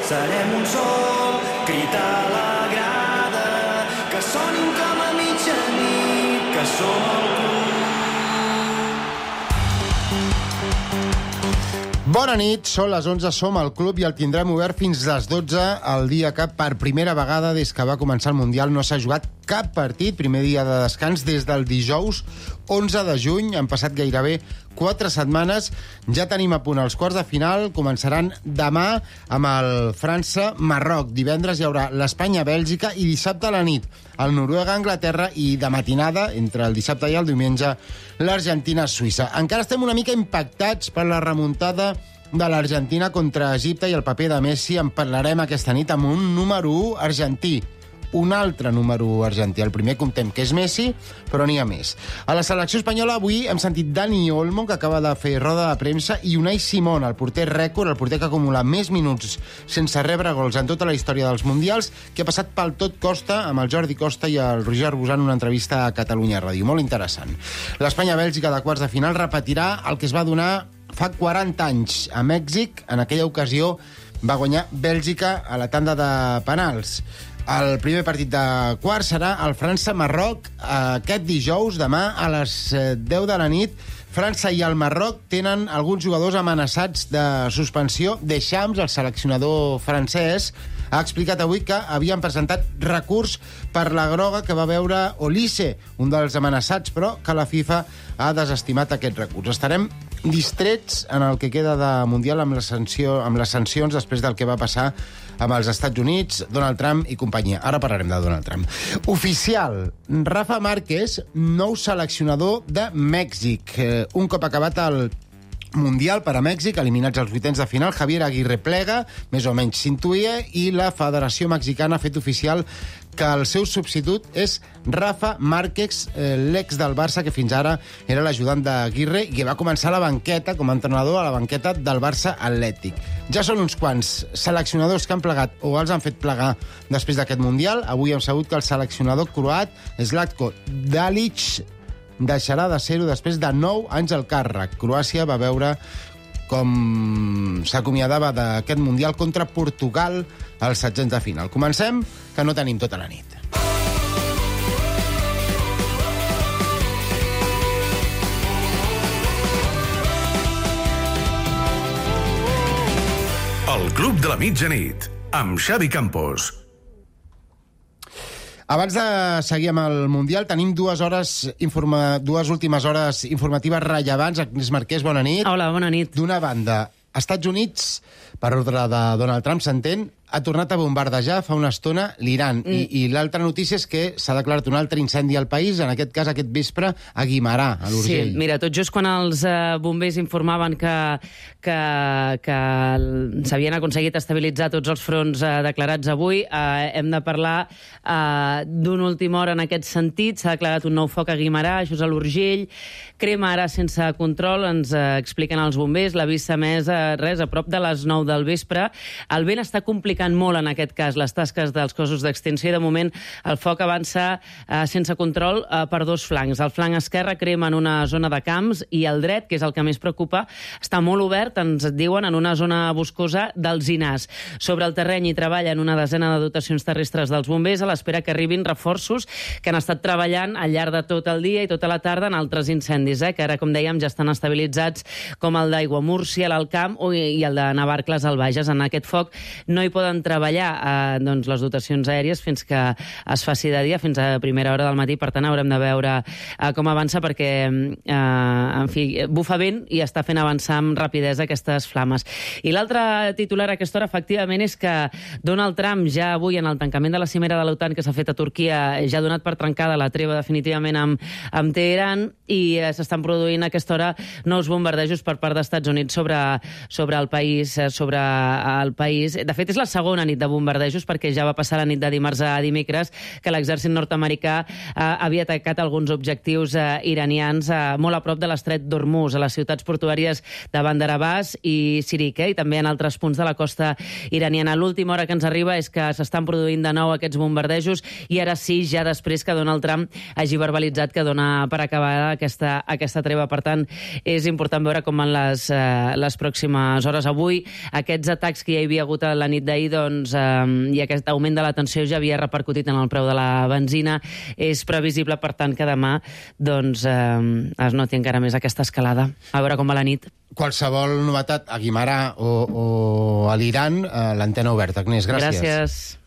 serem un sol, crit a la grada, que sonin com a mitjanit, que som el club. Bona nit, són les 11, som al club i el tindrem obert fins les 12, el dia que per primera vegada des que va començar el Mundial no s'ha jugat cap partit, primer dia de descans des del dijous 11 de juny, han passat gairebé 4 setmanes, ja tenim a punt els quarts de final, començaran demà amb el França-Marroc, divendres hi haurà l'Espanya-Bèlgica i dissabte a la nit el Noruega-Anglaterra i de matinada, entre el dissabte i el diumenge, l'Argentina-Suïssa. Encara estem una mica impactats per la remuntada de l'Argentina contra Egipte i el paper de Messi. En parlarem aquesta nit amb un número 1 argentí. Un altre número 1 argentí. El primer comptem que és Messi, però n'hi ha més. A la selecció espanyola avui hem sentit Dani Olmo, que acaba de fer roda de premsa, i Unai Simón, el porter rècord, el porter que acumula més minuts sense rebre gols en tota la història dels Mundials, que ha passat pel tot Costa amb el Jordi Costa i el Roger Arbusà en una entrevista a Catalunya Ràdio. Molt interessant. L'Espanya-Bèlgica de quarts de final repetirà el que es va donar fa 40 anys a Mèxic. En aquella ocasió va guanyar Bèlgica a la tanda de penals. El primer partit de quarts serà el França-Marroc aquest dijous, demà a les 10 de la nit. França i el Marroc tenen alguns jugadors amenaçats de suspensió. Deschamps, el seleccionador francès, ha explicat avui que havien presentat recurs per la groga que va veure Olise, un dels amenaçats, però que la FIFA ha desestimat aquest recurs. Estarem distrets en el que queda de Mundial amb les sancions després del que va passar amb els Estats Units, Donald Trump i companyia. Ara parlarem de Donald Trump. Oficial, Rafa Márquez, nou seleccionador de Mèxic. Un cop acabat el Mundial per a Mèxic, eliminats als vuitens de final, Javier Aguirre plega, més o menys s'intuïa, i la Federació Mexicana ha fet oficial que el seu substitut és Rafa Márquez, l'ex del Barça, que fins ara era l'ajudant d'Aguirre i que va començar a la banqueta, com a entrenador, a la banqueta del Barça Atlètic. Ja són uns quants seleccionadors que han plegat o els han fet plegar després d'aquest Mundial. Avui hem sabut que el seleccionador croat, Zlatko Dalic, deixarà de ser-ho després de 9 anys al càrrec. Croàcia va veure com s'acomiadava d'aquest Mundial contra Portugal als setzents de final. Comencem, que no tenim tota la nit. El Club de la Mitjanit, amb Xavi Campos. Abans de seguir amb el Mundial, tenim dues últimes hores informatives rellevants. Agnès Marquès, bona nit. Hola, bona nit. D'una banda, Estats Units, per ordre de Donald Trump, s'entén, ha tornat a bombardejar fa una estona l'Iran. I l'altra notícia és que s'ha declarat un altre incendi al país, en aquest cas aquest vespre a Guimerà, a l'Urgell. Sí, mira, tot just quan els bombers informaven que s'havien aconseguit estabilitzar tots els fronts declarats avui, hem de parlar d'una última hora en aquest sentit. S'ha declarat un nou foc a Guimerà, això és a l'Urgell. Crema ara sense control, ens expliquen els bombers. L'avís s'ha emès a prop de les 9 del vespre. El vent està complicant molt, en aquest cas, les tasques dels cossos d'extinció. De moment, el foc avança sense control per dos flancs. El flanc esquerre crema en una zona de camps i el dret, que és el que més preocupa, està molt obert, ens diuen, en una zona boscosa d'Alzinars. Sobre el terreny hi treballen una desena de dotacions terrestres dels bombers a l'espera que arribin reforços que han estat treballant al llarg de tot el dia i tota la tarda en altres incendis, que ara, com dèiem, ja estan estabilitzats, com el d'Aiguamúrcia, l'Alt Camp, i el de Navarcles, al Bages. En aquest foc no hi poden treballar les dotacions aèries fins que es faci de dia, fins a primera hora del matí. Per tant, haurem de veure com avança, perquè en fi, bufa vent i està fent avançar amb rapidesa aquestes flames. I l'altre titular a aquesta hora, efectivament, és que Donald Trump ja avui, en el tancament de la cimera de l'OTAN que s'ha fet a Turquia, ja ha donat per trencada la treva definitivament amb Teheran, i s'estan produint a aquesta hora nous bombardejos per part dels Estats Units sobre el país. De fet, és la segona nit de bombardejos, perquè ja va passar la nit de dimarts a dimecres que l'exèrcit nord-americà havia atacat alguns objectius iranians molt a prop de l'estret d'Hormuz, a les ciutats portuàries de Bandar Abbas i Sirik, i també en altres punts de la costa iraniana. L'última hora que ens arriba és que s'estan produint de nou aquests bombardejos, i ara sí, ja després que Donald Trump hagi verbalitzat que dona per acabada aquesta treva. Per tant, és important veure com van les pròximes hores. Avui, aquests atacs que hi havia hagut a la nit d'ahir doncs, i aquest augment de la tensió ja havia repercutit en el preu de la benzina. És previsible, per tant, que demà doncs, es noti encara més aquesta escalada. A veure com va la nit. Qualsevol novetat a Guimarà o a l'Iran, l'antena oberta. Agnès, gràcies. Gràcies.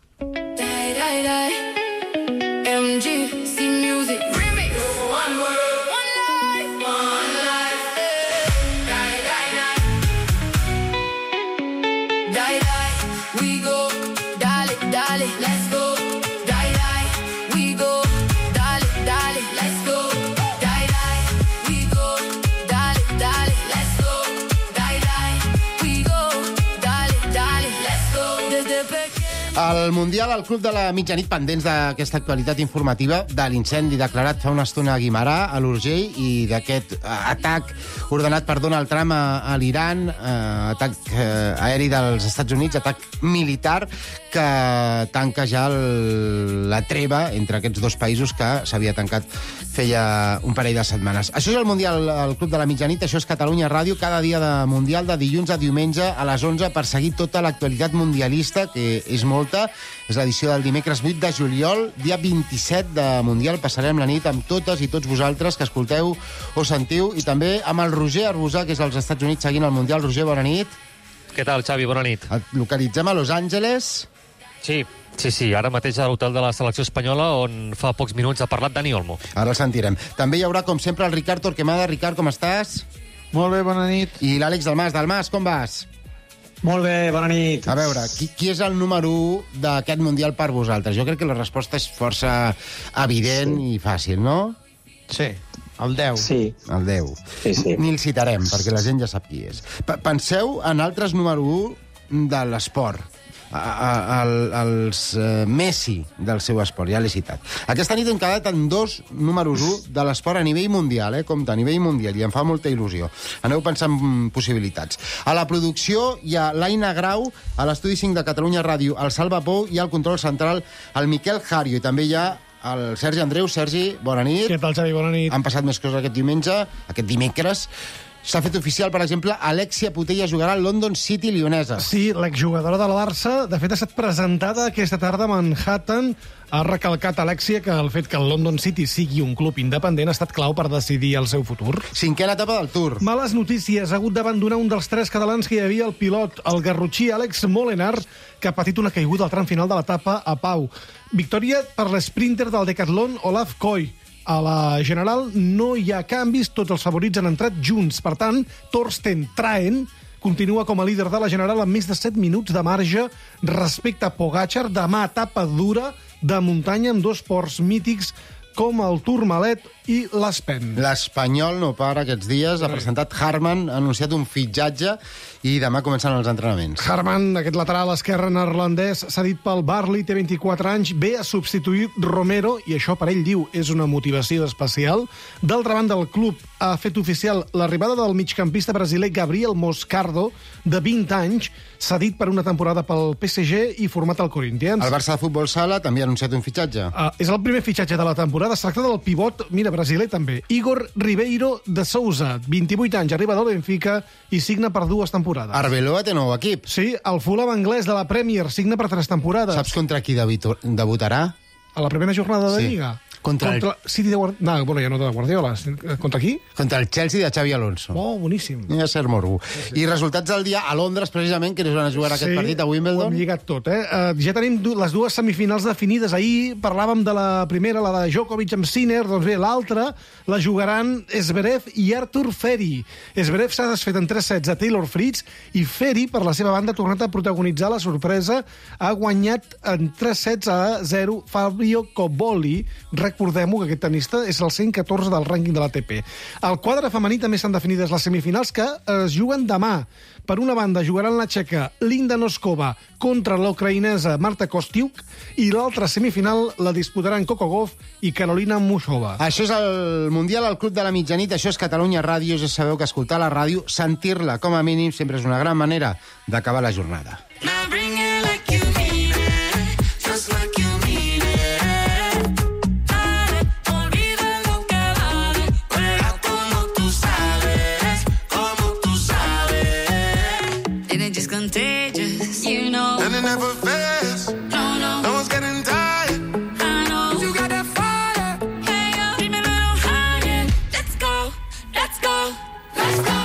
El Mundial, al Club de la Mitjanit, pendents d'aquesta actualitat informativa de l'incendi declarat fa una estona a Guimarà, a l'Urgell, i d'aquest atac ordenat per Donald Trump a l'Iran, atac aeri dels Estats Units, atac militar, que tanca ja la treva entre aquests dos països que s'havia tancat feia un parell de setmanes. Això és el Mundial al Club de la Mitjanit, això és Catalunya Ràdio, cada dia de Mundial, de dilluns a diumenge a les 11, per seguir tota l'actualitat mundialista, que és molta. És l'edició del dimecres 8 de juliol, dia 27 de Mundial. Passarem la nit amb totes i tots vosaltres que escolteu o sentiu, i també amb el Roger Arbusà, que és als Estats Units seguint el Mundial. Roger, bona nit. Què tal, Xavi? Bona nit. Et localitzem a Los Angeles. Sí, ara mateix a l'hotel de la selecció espanyola, on fa pocs minuts ha parlat Dani Olmo. Ara el sentirem. També hi haurà, com sempre, el Ricard Torquemada. Ricard, com estàs? Molt bé, bona nit. I l'Àlex Dalmas. Dalmas, com vas? Molt bé, bona nit. A veure, qui és el número 1 d'aquest Mundial per vosaltres? Jo crec que la resposta és força evident i fàcil, no? Sí, el 10. Sí. El 10. Sí. Ni el citarem, perquè la gent ja sap qui és. Penseu en altres número 1 de l'esport. Els Messi del seu esport, ja l'he citat. Aquesta nit hem quedat en 2 números 1 de l'esport a nivell mundial, compte, a nivell mundial, i em fa molta il·lusió. Aneu pensant en possibilitats. A la producció hi ha l'Aina Grau, a l'estudi 5 de Catalunya Ràdio, el Salva Pou, i al control central el Miquel Jario, i també hi ha el Sergi Andreu. Sergi, bona nit. Què tal, Xavi? Bona nit. Han passat més coses aquest diumenge, aquest dimecres. S'ha fet oficial, per exemple, Alexia Putella jugarà al London City lionesa. Sí, l'exjugadora del Barça, de fet, ha estat presentada aquesta tarda a Manhattan. Ha recalcat Alexia que el fet que el London City sigui un club independent ha estat clau per decidir el seu futur. 5a etapa del Tour. Males notícies. Ha hagut d'abandonar un dels 3 catalans que hi havia al pilot, el garrotxí Àlex Molenar, que ha patit una caiguda al tram final de l'etapa a Pau. Victòria per l'esprinter del Decathlon, Olaf Koy. A la general no hi ha canvis, tots els favorits han entrat junts. Per tant, Torsten Traen continua com a líder de la general amb més de 7 minuts de marge respecte a Pogačar. Demà etapa dura de muntanya amb 2 ports mítics com el Tourmalet i l'Aspen. L'Espanyol no para aquests dies. Ha presentat Harman, ha anunciat un fitxatge i demà comencen els entrenaments. Harman, aquest lateral esquerre neerlandès, s'ha dit pel Barley, té 24 anys, ve a substituir Romero, i això per ell diu és una motivació especial. D'altra banda, el club ha fet oficial l'arribada del migcampista brasiler Gabriel Moscardo, de 20 anys, cedit per una temporada pel PSG i format al Corinthians. El Barça de Futbol Sala també ha anunciat un fitxatge. És el primer fitxatge de la temporada. Es tracta del pivot, mira, brasiler també, Igor Ribeiro de Souza, 28 anys, arriba del Benfica i signa per 2 temporades. Arbeloa té nou equip. Sí, el Fulham anglès de la Premier signa per 3 temporades. Saps contra qui debutarà? A la primera jornada de Lliga? Contra el City de Guardiola. No, bueno, ja no de Guardiola. Contra qui? Contra el Chelsea de Xavi Alonso. Oh, boníssim. Ja ser morbo. Sí. I resultats del dia a Londres, precisament, que es van a jugar aquest partit a Wimbledon. Ho hem lligat tot, ja tenim les 2 semifinals definides. Ahir parlàvem de la primera, la de Djokovic amb Sinner, doncs bé, l'altra la jugaran Zverev i Artur Feri. Zverev s'ha desfet en 3 sets a Taylor Fritz i Feri, per la seva banda, ha tornat a protagonitzar la sorpresa. Ha guanyat en 3 sets a 0 Fabio Cobolli. Recordem-ho, que aquest tenista és el 114 del rànquing de l'ATP. Al quadre femení també estan definides les semifinals, que es juguen demà. Per una banda, jugaran la txeca Linda Noskova contra l'ucraïnesa Marta Kostiuk, i l'altra semifinal la disputaran Coco Gauff i Carolina Muchova. Això és el Mundial al Club de la Mitjanit, això és Catalunya Ràdio. Ja sabeu que escoltar la ràdio, sentir-la com a mínim, sempre és una gran manera d'acabar la jornada. Just contagious, you know. And it never fails. No one's getting tired. I know. You got that fire. Hey, yo, keep me a little higher. Let's go, let's go, let's go.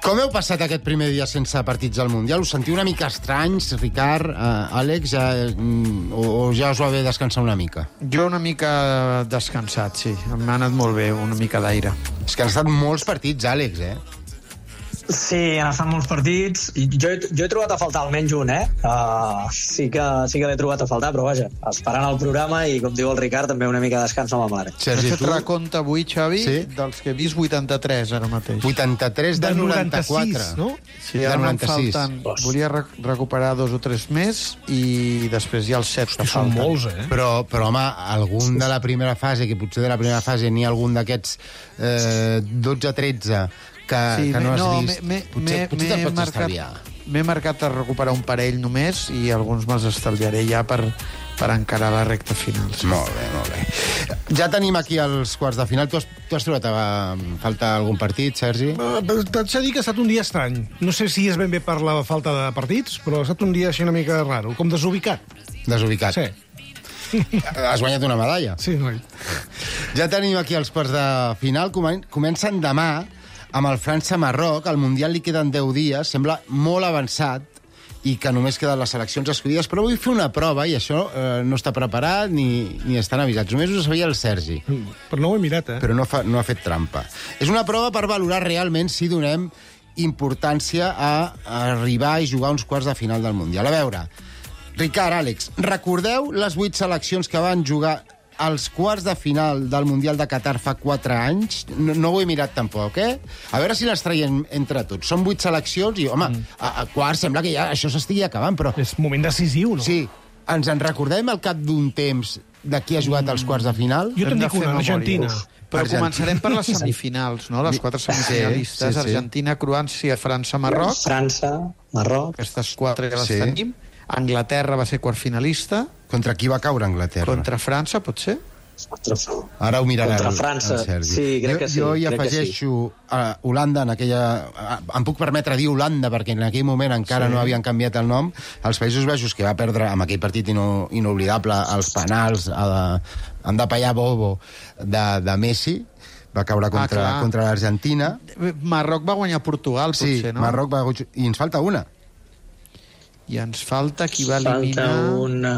Com heu passat aquest primer dia sense partits al Mundial? Us sentiu una mica estranys, Ricard, Àlex, o ja us va bé descansar una mica? Jo una mica descansat, sí. M'ha anat molt bé, una mica d'aire. És que han estat molts partits, Àlex, Sí, han estat molts partits. Jo he trobat a faltar almenys un, sí que l'he trobat a faltar, però vaja, esperant el programa i, com diu el Ricard, també una mica de descans no m'amare. He fet recompte avui, Xavi, dels que he vist 83 ara mateix. 83 de 94. No? Sí, ara me'n falten... Volia recuperar 2 o 3 més i després hi ha els 7 que Són falten. molts, Però, home, algun de la primera fase, que potser de la primera fase n'hi ha algun d'aquests 12-13 que no has vist. Potser te'l pots estalviar. M'he marcat a recuperar un parell només i alguns me'ls estalviaré ja per encarar la recta final. Molt bé, molt bé. Ja tenim aquí els quarts de final. Tu has trobat a falta algun partit, Sergi? T'haig de dir que ha estat un dia estrany. No sé si és ben bé per la falta de partits, però ha estat un dia així una mica raro, com desubicat. Desubicat. Sí. Has guanyat una medalla. Sí, noi. Ja tenim aquí els quarts de final. Comencen demà amb el França-Marroc. Al Mundial li queden 10 dies. Sembla molt avançat i que només queden les seleccions escollides, però vull fer una prova i això no està preparat ni estan avisats. Només ho sabia el Sergi. Però no ho he mirat, Però no ha fet trampa. És una prova per valorar realment si donem importància a arribar i jugar uns quarts de final del Mundial. A veure, Ricard, Àlex, recordeu les 8 seleccions que van jugar als quarts de final del Mundial de Qatar fa 4 anys? No ho he mirat tampoc, A veure si les traiem entre tots. Són 8 seleccions i, home, a quarts sembla que ja això s'estigui acabant, però... És moment decisiu, no? Sí. Ens en recordem al cap d'un temps de qui ha jugat als quarts de final? Jo te'n dic una, Argentina. Però començarem per les semifinals, no? Les 4 semifinalistes. Sí. Argentina, Croàcia, França, Marroc. França, Marroc. Aquestes 4 ja les tenim. Anglaterra va ser quart finalista. Contra qui va caure Anglaterra? Contra França, pot ser? Ara ho mirarà Contra França. el Sergi. Sí, crec que sí. Jo hi afegeixo Holanda, em puc permetre dir Holanda, perquè en aquell moment encara no havien canviat el nom. Els Països Baixos, que va perdre amb aquell partit inoblidable els penals, han de pallar Bobo de Messi, va caure contra l'Argentina. Marroc va guanyar Portugal, potser, no? Sí, Marroc va guanyar... I ens falta una. I ens falta qui va eliminar... Falta una...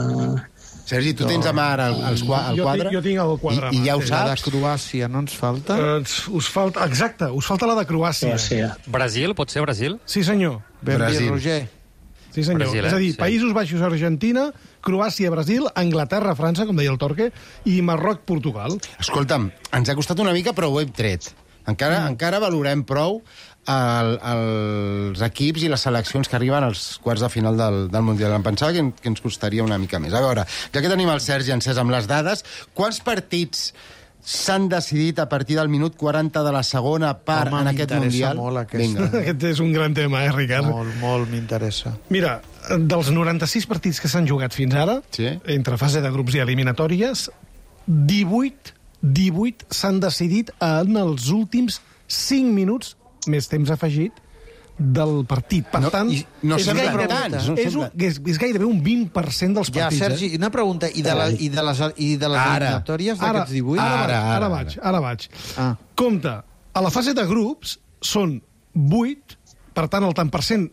Sergi, tu tens a mà ara el quadre? Jo tinc el quadre. I ja ho La de saps? Croàcia no ens falta? Us falta... Exacte, us falta la de Croàcia. Brasil, pot ser Brasil? Sí, senyor. Ben bé, Brasil. Roger. Sí, senyor. Brasil, És a dir, sí. Països Baixos, Argentina, Croàcia, Brasil, Anglaterra, França, com deia el Torque, i Marroc, Portugal. Escolta'm, ens ha costat una mica, però ho hem tret. Encara valorem prou els equips i les seleccions que arriben als quarts de final del Mundial. Em pensava que ens costaria una mica més. A veure, ja que tenim el Sergi encès amb les dades, quants partits s'han decidit a partir del minut 40 de la segona part en aquest Mundial? Molt aquest. Vinga. Aquest és un gran tema, Ricard? Molt m'interessa. Mira, dels 96 partits que s'han jugat fins ara, entre fase de grups i eliminatòries, 18 s'han decidit en els últims 5 minuts, més temps afegit, del partit. Per tant, és gairebé un 20% dels partits. Ja, Sergi, una pregunta. I de les eliminatòries d'aquests 18? Ara vaig. Compte, a la fase de grups són 8, per tant, el tant per cent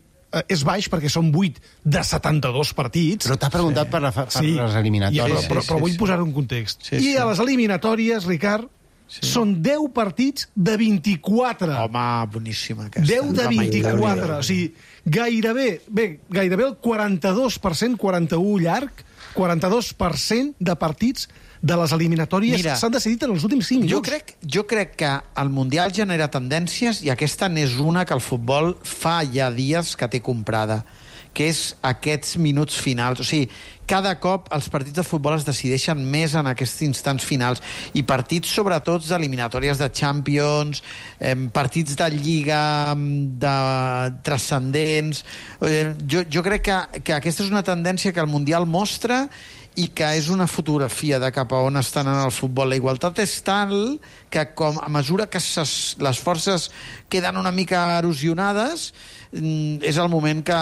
és baix, perquè són 8 de 72 partits. Però t'ha preguntat per les eliminatòries. Però vull posar-ho en context. I a les eliminatòries, Ricard, són 10 partits de 24. Home, boníssima aquesta. 10 de 24. O sigui, gairebé el 42%, 41 llarg, 42% de partits de les eliminatòries s'han decidit en els últims 5 minuts. Jo crec que el Mundial genera tendències i aquesta n'és una que el futbol fa ja dies que té comprada, que és aquests minuts finals. O sigui, cada cop els partits de futbol es decideixen més en aquests instants finals i partits sobretot d'eliminatòries de Champions, partits de Lliga transcendents. Jo crec que aquesta és una tendència que el Mundial mostra i que és una fotografia de cap a on estan en el futbol. La igualtat és tal que a mesura que les forces queden una mica erosionades, és el moment que...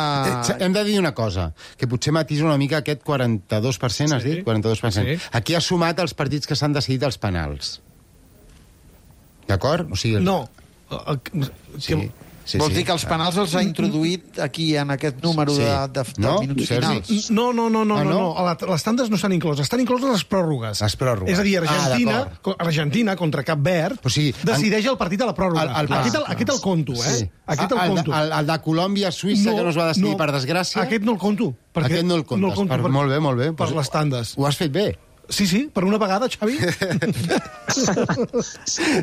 Hem de dir una cosa, que potser matisa una mica aquest 42%, has dit? 42%. Sí. Aquí ha sumat els partits que s'han decidit als penals. D'acord? O sigui, No. Sí, Vols dir que els penals els ha introduït aquí, en aquest número Sí. de No, minuts Sergi? finals? No. Ah, no? Les tandes no s'han inclòs. Estan incloses les pròrrogues. Les pròrrogues. És a dir, d'acord. Argentina contra Cap Verd O sigui, decideix el partit a la pròrroga. Aquest el conto, eh? Sí. Aquest el conto. El de Colòmbia-Suïssa, que no es va decidir per desgràcia... Aquest no el conto. Aquest no el comptes. Molt bé, molt bé. Per les tandes. Ho has fet bé. Sí, per una vegada, Xavi.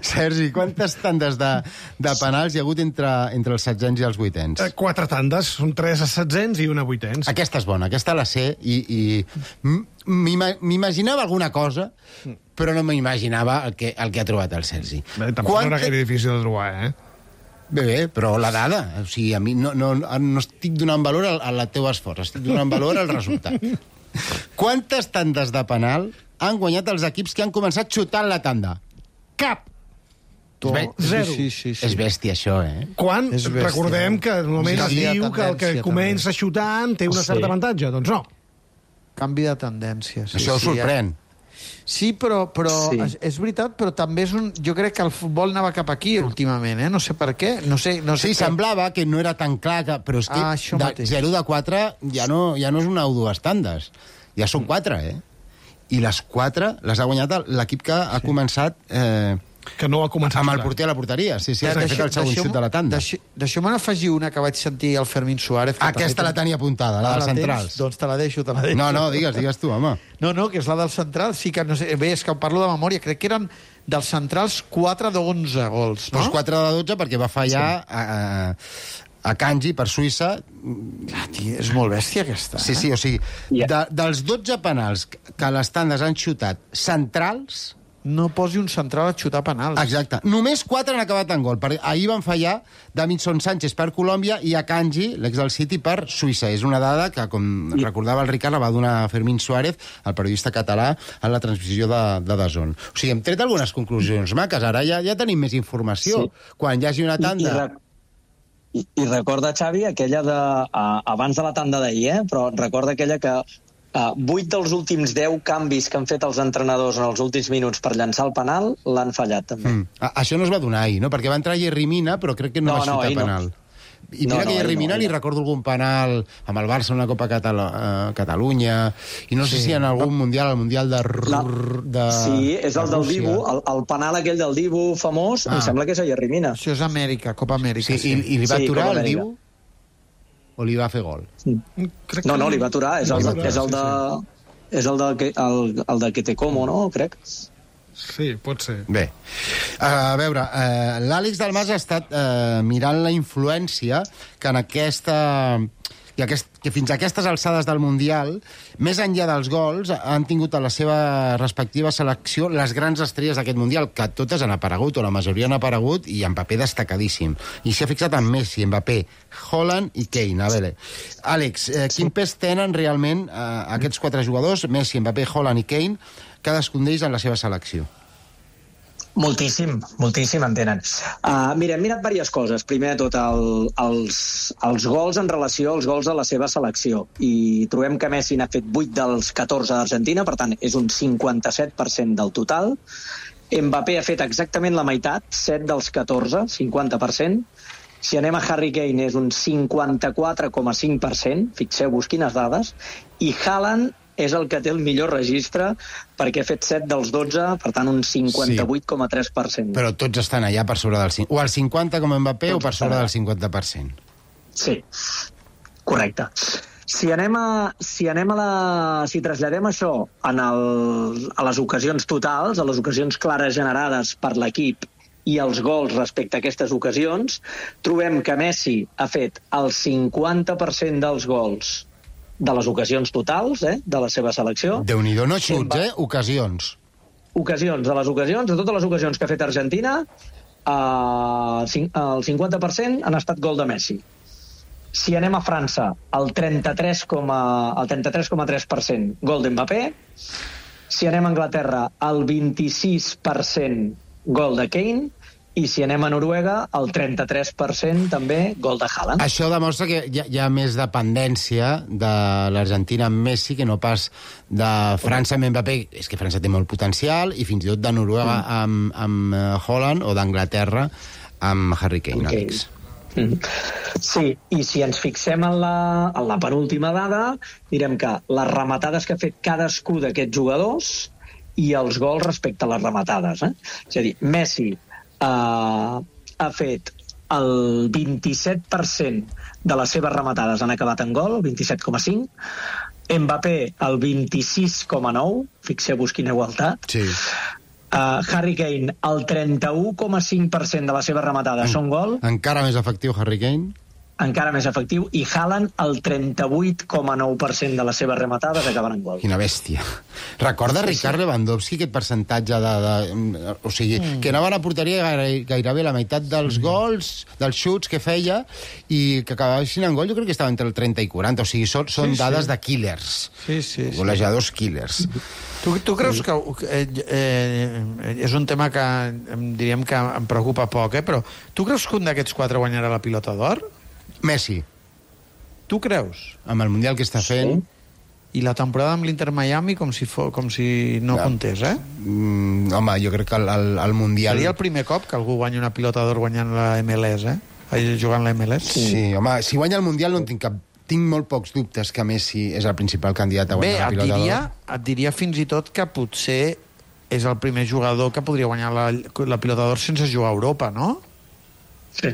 Sergi, quantes tandes de penals hi ha hagut entre els setzents i els vuitens? 4 tandes, són 3 setzents i una vuitens. Aquesta és bona, aquesta la sé, i m'imaginava alguna cosa, però no m'imaginava el que ha trobat el Sergi. Tampoc no era gaire difícil de trobar, eh? Bé, però la dada, o sigui, a mi no estic donant valor a la teva esforç, estic donant valor al resultat. Quantes tandes de penal han guanyat els equips que han començat xutant la tanda? Cap! Zero. Sí. És bèstia, això, eh? Quan És bèstia. recordem que normalment es Canvi de diu que el que tendència, comença xutant té un cert avantatge. Doncs no. Canvi de tendència. Sí, Això us sorprèn. Sí, però Sí. és veritat, però també és jo crec que el futbol anava cap aquí últimament, eh? No sé per què. No sé Sí, què. semblava que no era tan clar, però és que Això de mateix. 0 de 4 ja no és una o dues tandes, ja són 4, eh? I les 4 les ha guanyat l'equip que ha començat Que no ha començat amb a el xutar. porter a la porteria. Sí, ha fet el segon xut de la tanda. Deixeu-me afegir una que vaig sentir al Fermín Suárez. que Aquesta també la tenia apuntada, la dels tens? centrals. Doncs te la deixo. No, digues tu, home. No, que és la dels centrals. Sí que no sé, bé, és que parlo de memòria. Crec que eren dels centrals 4 d'11 gols, no? Doncs 4 de 12 perquè va fallar a Kanji per Suïssa. Clar, tio, és molt bèstia aquesta. Sí, o sigui, dels 12 penals que les tandes han xutat centrals... No posi un central a xutar penals. Exacte. Només 4 han acabat en gol. Ahir van fallar Davinson Sánchez per Colòmbia i Akanji, l'ex del City, per Suïssa. És una dada que, com recordava el Ricard, la va donar Fermín Suárez, el periodista català, en la transmissió de DAZN. O sigui, hem tret algunes conclusions maques. Ara ja tenim més informació. Sí. Quan hi hagi una tanda... I recorda, Xavi, aquella de... abans de la tanda d'ahir, però recorda aquella que 8 dels últims 10 canvis que han fet els entrenadors en els últims minuts per llançar el penal l'han fallat, també. Això no es va donar ahir, no? Perquè va entrar Jerry Mina, però crec que no va xutar penal. I mira que Jerry Mina li recordo algun penal amb el Barça, una Copa Catalunya, i no sé si en algun mundial, el mundial de Sí, és el del Rússia. Dibu, el penal aquell del Dibu famós, em sembla que és a Jerry Mina. Això és Amèrica, Copa Amèrica. Sí, i li va Sí, aturar Copa el Amèrica. Dibu? O li va fer gol? No, li va aturar, és el de Ketekomo, no? Crec. Sí, pot ser. Bé, a veure, l'Àlex Dalmas ha estat mirant la influència que en aquesta... que fins a aquestes alçades del Mundial, més enllà dels gols, han tingut a la seva respectiva selecció les grans estrelles d'aquest Mundial, que totes han aparegut, o la majoria han aparegut, i en paper destacadíssim. I s'ha fixat en Messi, Mbappé, Haaland i Kane. A veure, Àlex, quin pes tenen realment aquests 4 jugadors, Messi, Mbappé, Haaland i Kane, cadascun d'ells en la seva selecció? Moltíssim en tenen. Mira, hem mirat diverses coses. Primer de tot, els gols en relació als gols de la seva selecció. I trobem que Messi n'ha fet 8 dels 14 d'Argentina, per tant, és un 57% del total. Mbappé ha fet exactament la meitat, 7 dels 14, 50%. Si anem a Harry Kane, és un 54,5%, fixeu-vos quines dades, i Haaland és el que té el millor registre perquè ha fet 7 dels 12, per tant, un 58,3%. Però tots estan allà per sobre del 50%. O el 50% com Mbappé o per sobre del 50%. Sí, correcte. Si traslladem això a les ocasions totals, a les ocasions clares generades per l'equip i els gols respecte a aquestes ocasions, trobem que Messi ha fet el 50% dels gols de les ocasions totals, de la seva selecció. Déu-n'hi-do, no xuts, ocasions. Ocasions, de totes les ocasions que ha fet Argentina, el 50% han estat gol de Messi. Si anem a França, el 33,3% gol d'Mbappé. Si anem a Anglaterra, el 26% gol de Kane. I si anem a Noruega, el 33% també gol de Haaland. Això demostra que hi ha més dependència de l'Argentina amb Messi que no pas de França amb Mbappé. És que França té molt potencial, i fins i tot de Noruega amb Haaland, o d'Anglaterra amb Harry Kane, Àlex. Sí, i si ens fixem en la penúltima dada, direm que les rematades que ha fet cadascú d'aquests jugadors i els gols respecte a les rematades. És a dir, Messi ha fet el 27% de les seves rematades han acabat en gol, 27,5. Mbappé, el 26,9. Fixeu-vos quina igualtat. Sí. Harry Kane, el 31,5% de les seves rematades són gol. Encara més efectiu, Harry Kane. Encara més efectiu. I Haaland, el 38,9% de les seves rematades acaben en gol. Quina bèstia. Recorda Ricard Lewandowski aquest percentatge o sigui, que anaven a porteria gairebé la meitat dels gols, dels xuts que feia, i que acabessin en gol, jo crec que estava entre el 30 i 40. O sigui, són dades de killers. Sí. Golejadors killers. Tu creus que és un tema que diríem que em preocupa poc, però tu creus que un d'aquests 4 guanyarà la Pilota d'Or? Messi. Tu creus? Amb el Mundial que està fent... I la temporada amb l'Inter Miami com si no comptés, home, jo crec que el Mundial... Seria el primer cop que algú guanya una Pilota d'Or guanyant la MLS, jugant la MLS. Sí, home, si guanya el Mundial no en tinc cap... Tinc molt pocs dubtes que Messi és el principal candidat a guanyar la Pilota d'Or. Et diria fins i tot que potser és el primer jugador que podria guanyar la Pilota d'Or sense jugar a Europa, no? Sí,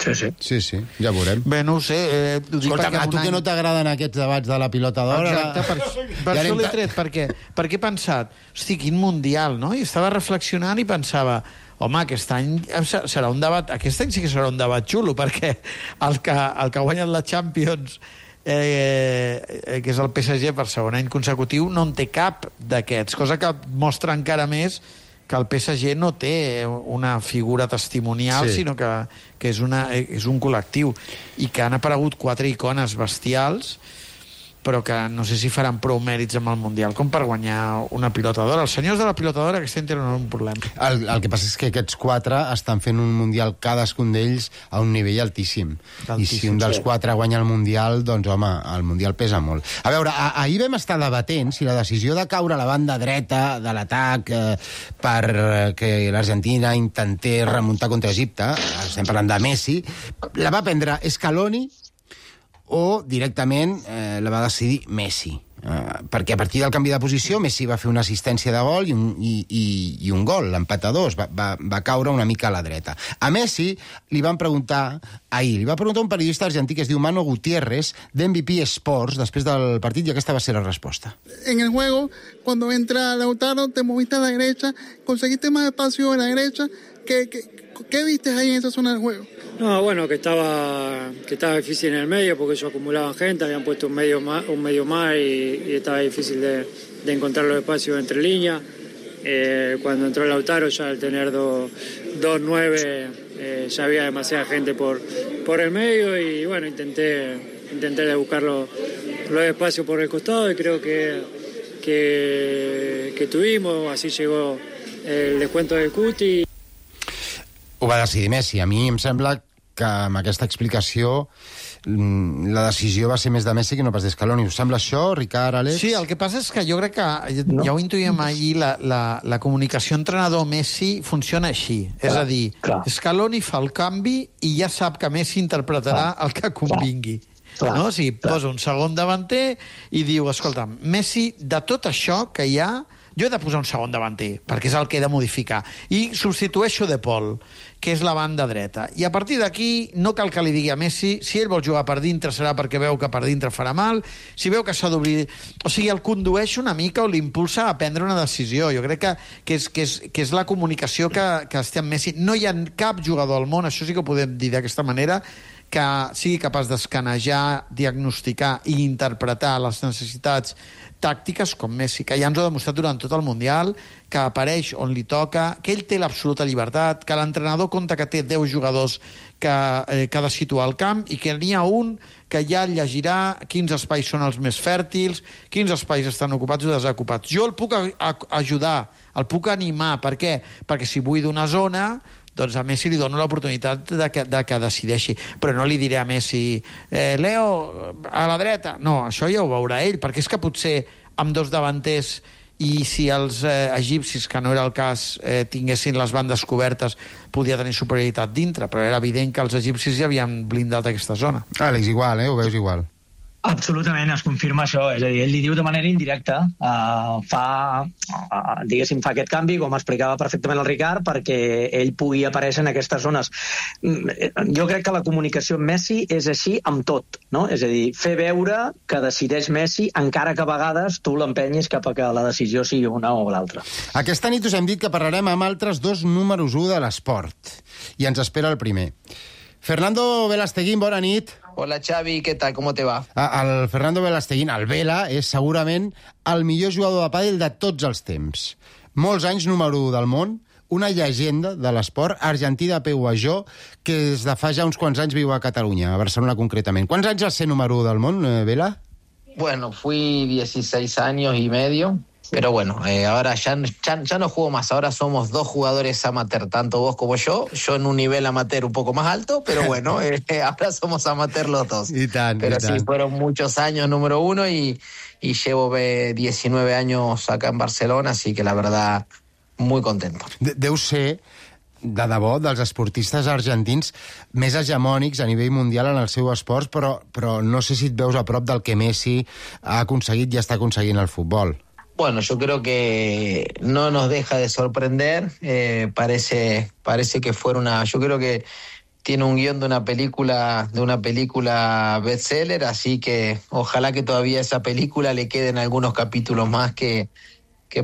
ja veurem. Bé, no ho sé. Escolta, a tu que no t'agraden aquests debats de la Pilota d'Or... Exacte, per això l'he tret, perquè he pensat, hosti, quin Mundial, no? I estava reflexionant i pensava, home, aquest any serà un debat, aquest any sí que serà un debat xulo, perquè el que ha guanyat la Champions, que és el PSG per segon any consecutiu, no en té cap d'aquests, cosa que mostra encara més que el PSG no té una figura testimonial, sinó que és un col·lectiu, i que han aparegut 4 icones bestials, però que no sé si faran prou mèrits amb el Mundial com per guanyar una Pilota d'Or. Els senyors de la Pilota d'Or aquest any tenen un problema. El que passa és que aquests 4 estan fent un Mundial, cadascun d'ells, a un nivell altíssim. I si un dels 4 guanya el Mundial, doncs, home, el Mundial pesa molt. A veure, ahir vam estar debatent si la decisió de caure a la banda dreta de l'atac perquè l'Argentina intentés remuntar contra Egipte, estem parlant de Messi, la va prendre Scaloni o directament la va decidir Messi. Perquè a partir del canvi de posició Messi va fer una assistència de gol i un gol, l'empat a 2, va caure una mica a la dreta. A Messi li va preguntar un periodista argentí que es diu Mano Gutiérrez, d'MVP Sports, després del partit, i aquesta va ser la resposta. En el juego, cuando entra Lautaro, te moviste a la derecha, conseguiste más espacio a la derecha. ¿Qué viste ahí en esa zona del juego? No, bueno, que estaba difícil en el medio porque ellos acumulaban gente, habían puesto un medio más y estaba difícil de encontrar los espacios entre líneas. Cuando entró Lautaro, ya al tener 2-9, ya había demasiada gente por el medio, y bueno, intenté de buscar los espacios por el costado, y creo que tuvimos, así llegó el descuento del Cuti. Ho va decidir Messi. A mi em sembla que amb aquesta explicació la decisió va ser més de Messi que no pas d'Escaloni. Us sembla això, Ricard, Àlex? Sí, el que passa és que jo crec que, ja ho intuïem ahir, la comunicació entrenador-Messi funciona així. És a dir, Scaloni fa el canvi i ja sap que Messi interpretarà el que convingui. No? O sigui, posa un segon davanter i diu, escolta, Messi, de tot això que hi ha, jo he de posar un segon davanter, perquè és el que he de modificar. I substitueixo De Paul, que és la banda dreta. I a partir d'aquí no cal que li digui a Messi, si ell vol jugar per dintre serà perquè veu que per dintre farà mal, si veu que s'ha d'obrir... O sigui, el condueix una mica o l'impulsa a prendre una decisió. Jo crec que és la comunicació que estem amb Messi. No hi ha cap jugador al món, això sí que ho podem dir d'aquesta manera, que sigui capaç d'escanejar, diagnosticar i interpretar les necessitats tàctiques com Messi, que ja ens ho ha demostrat durant tot el Mundial, que apareix on li toca, que ell té l'absoluta llibertat, que l'entrenador compta que té 10 jugadors que ha de situar al camp i que n'hi ha un que ja llegirà quins espais són els més fèrtils, quins espais estan ocupats o desocupats. Jo el puc ajudar, el puc animar. Per què? Perquè si vull d'una zona, doncs a Messi li dono l'oportunitat de que decideixi. Però no li diré a Messi Leo, a la dreta. No, això ja ho veurà ell, perquè és que potser amb dos davanters i si els egipcis, que no era el cas, tinguessin les bandes cobertes, podia tenir superioritat dintre, però era evident que els egipcis ja havien blindat aquesta zona. Àlex, igual, ho veus igual. Absolutament, es confirma això. És a dir, ell li diu de manera indirecta, fa aquest canvi, com explicava perfectament el Ricard, perquè ell pugui aparèixer en aquestes zones. Jo crec que la comunicació amb Messi és així amb tot, no? És a dir, fer veure que decideix Messi, encara que a vegades tu l'empenyis cap a que la decisió sigui una o l'altra. Aquesta nit us hem dit que parlarem amb altres dos números 1 de l'esport. I ens espera el primer. Fernando Velasteguín, bona nit. Hola Xavi, ¿qué tal? ¿Cómo te va? El Fernando Velasteguín, el Vela, és segurament el millor jugador de pàdel de tots els temps. Molts anys número 1 del món, una llegenda de l'esport, argentí de peu a jo, que des de fa ja uns quants anys viu a Catalunya, a Barcelona concretament. Quants anys vas ser número 1 del món, Vela? Bueno, fui 16 años y medio, pero bueno, ahora ya no juego más, ahora somos dos jugadores amateur, tanto vos como yo en un nivel amateur un poco más alto, pero bueno, ahora somos amateur los dos. Pero sí, fueron muchos años número 1 y llevo 19 años acá en Barcelona, así que la verdad, muy contento. Deu ser, de debò, dels esportistes argentins més hegemònics a nivell mundial en el seu esport, però no sé si et veus a prop del que Messi ha aconseguit i està aconseguint el futbol. Bueno, yo creo que no nos deja de sorprender, parece que fuera yo creo que tiene un guión de una película bestseller, así que ojalá que todavía esa película le queden algunos capítulos más que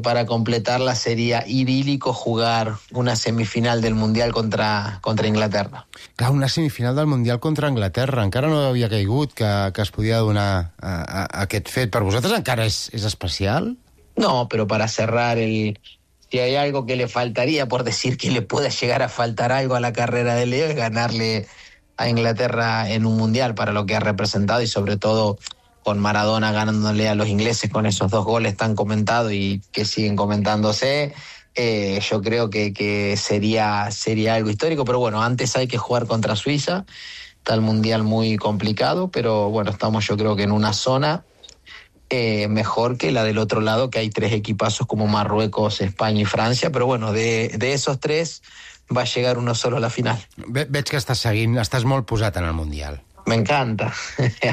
para completarla sería idílico jugar una semifinal del Mundial contra Inglaterra. Clar, una semifinal del Mundial contra Anglaterra. Encara no havia caigut que es podia donar aquest fet. Per vosaltres encara és especial? No, pero para cerrar, si hay algo que le faltaría, por decir que le pueda llegar a faltar algo a la carrera de Leo, es ganarle a Inglaterra en un Mundial para lo que ha representado y sobre todo con Maradona ganándole a los ingleses con esos 2 goles tan comentados y que siguen comentándose. Yo creo que sería algo histórico, pero bueno, antes hay que jugar contra Suiza, está el Mundial muy complicado, pero bueno, estamos yo creo que en una zona mejor que la del otro lado, que hay 3 equipazos como Marruecos, España y Francia, pero bueno, de esos 3 va a llegar uno solo a la final. Veig que estàs molt posat en el Mundial. Me encanta,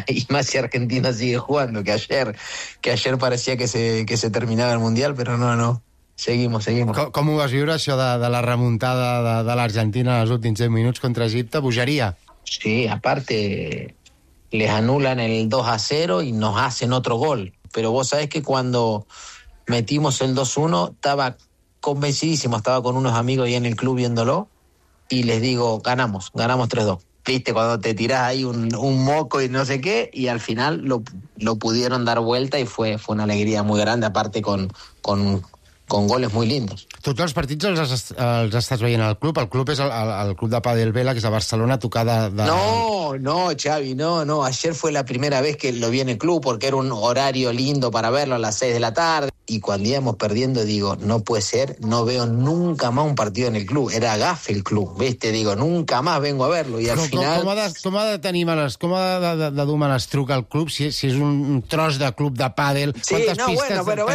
y más si Argentina sigue jugando, que ayer parecía que se terminaba el Mundial, pero no, seguimos. Com ho vas viure, això de la remuntada de l'Argentina en els últims 10 minuts contra Egipte? Bogeria? Sí, aparte les anulan el 2-0 y nos hacen otro gol. Pero vos sabés que cuando metimos el 2-1 estaba convencidísimo, estaba con unos amigos ahí en el club viéndolo y les digo, ganamos 3-2. Viste, cuando te tirás ahí un moco y no sé qué, y al final lo pudieron dar vuelta y fue una alegría muy grande, aparte con goles muy lindos. Tots els partits els estàs veient al club? El club és el club de pàdel Vela, que és a Barcelona, tocada de... No, Xavi, no. Ayer fue la primera vez que lo vi en el club porque era un horario lindo para verlo a las 6 de la tarde. Y cuando íbamos perdiendo, digo, no puede ser, no veo nunca más un partido en el club. Era gafe el club, ¿viste? Digo, nunca más vengo a verlo. I al final... Com ha de tenir com ha de dur truc al club si és un tros de club de pàdel? Sí, no, bueno,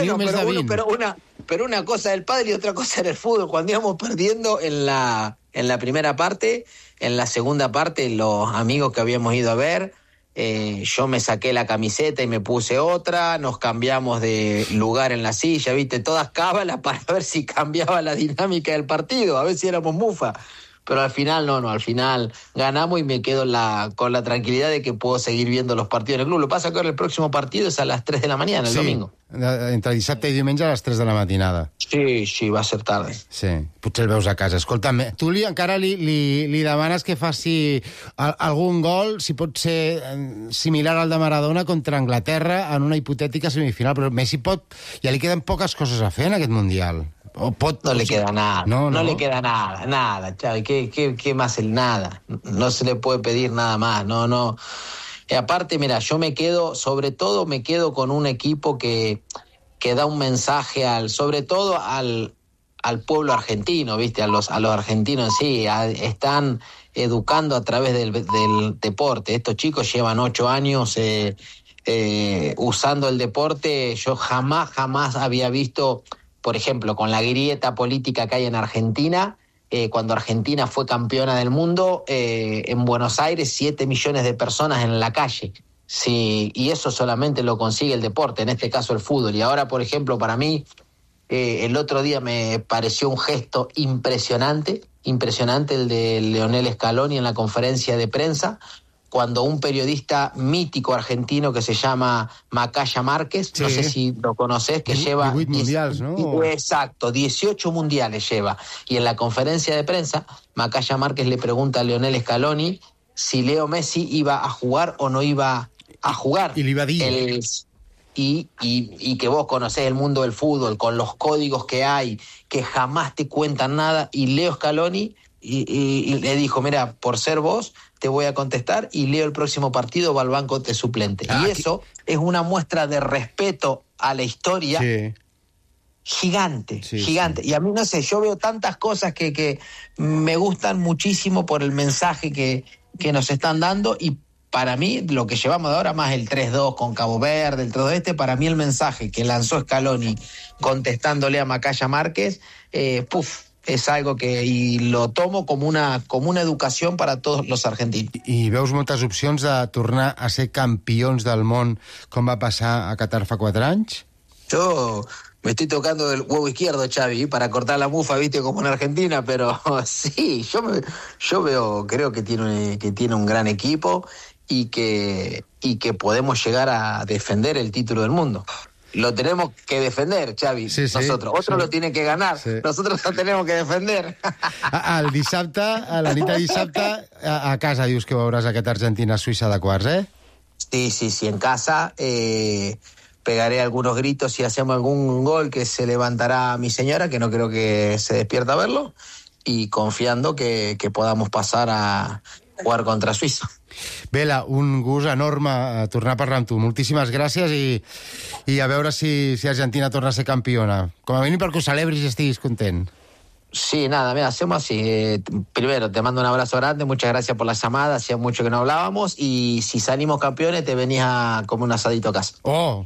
pero una cosa del pádel y otra cosa era el fútbol. Cuando íbamos perdiendo en la primera parte, en la segunda parte, los amigos que habíamos ido a ver, yo me saqué la camiseta y me puse otra, nos cambiamos de lugar en la silla, ¿viste? Todas cábalas para ver si cambiaba la dinámica del partido, a ver si éramos mufa. Pero al final al final ganamos y me quedo con la tranquilidad de que puedo seguir viendo los partidos en el club. Lo que pasa es que ahora el próximo partido es a las 3 de la mañana, el domingo. entre dissabte i diumenge a les 3 de la matinada. Sí, va a ser tarde. Sí, potser el veus a casa. Escolta'm, tu encara li demanes que faci algun gol, si pot ser similar al de Maradona contra Anglaterra en una hipotètica semifinal, però Messi ja li queden poques coses a fer en aquest Mundial. No le queda nada, no le queda nada, Xavi, ¿qué más el nada? No se le puede pedir nada más, no. Aparte, mira, yo sobre todo me quedo con un equipo que da un mensaje sobre todo al pueblo argentino, ¿viste? A los argentinos en sí, están educando a través del deporte. Estos chicos llevan 8 años usando el deporte. Yo jamás había visto, por ejemplo, con la grieta política que hay en Argentina, cuando Argentina fue campeona del mundo, en Buenos Aires 7 millones de personas en la calle. Sí, y eso solamente lo consigue el deporte, en este caso el fútbol. Y ahora, por ejemplo, para mí, el otro día me pareció un gesto impresionante el de Leonel Scaloni en la conferencia de prensa, cuando un periodista mítico argentino que se llama Macaya Márquez, no sé si lo conocés, que lleva 18 mundials, ¿no? Exacto, 18 mundiales lleva. Y en la conferencia de prensa, Macaya Márquez le pregunta a Leonel Scaloni si Leo Messi iba a jugar o no iba a jugar. Y le iba a decir. Y que vos conocés el mundo del fútbol, con los códigos que hay, que jamás te cuentan nada, y Leo Scaloni y le dijo, mira, por ser vos te voy a contestar, y Leo el próximo partido va al banco de suplente. Y eso es una muestra de respeto a la historia gigante. Y a mí, no sé, yo veo tantas cosas que me gustan muchísimo por el mensaje que nos están dando, y para mí, lo que llevamos de ahora, más el 3-2 con Cabo Verde, el 3-2 para mí el mensaje que lanzó Scaloni contestándole a Macaya Márquez, és algo y lo tomo como una educación para todos los argentinos. I veus moltes opcions de tornar a ser campions del món, com va passar a Qatar fa 4 anys? Yo me estoy tocando el huevo izquierdo, Xavi, para cortar la mufa, viste, como en Argentina, pero sí, yo veo, creo que tiene un gran equipo y que podemos llegar a defender el título del mundo. Lo tenemos que defender, Xavi, nosotros. Otro lo tiene que ganar, nosotros lo tenemos que defender. El dissabte, a la nit de dissabte, a casa dius que veuràs aquest Argentina-Suïssa de quarts, Sí, en casa pegaré algunos gritos si hacemos algún gol, que se levantará mi señora, que no creo que se despierta a verlo, y confiando que podamos pasar a jugar contra Suïssa. Vela, un gust enorme tornar a parlar amb tu. Moltíssimes gràcies i a veure si Argentina torna a ser campiona. Com a mínim perquè ho celebris i estiguis content. Sí, nada, mira, hacemos así. Primero, te mando un abrazo grande, muchas gracias por la llamada, hacía mucho que no hablábamos, y si salimos campeones te venís a comer un asadito a casa. Oh,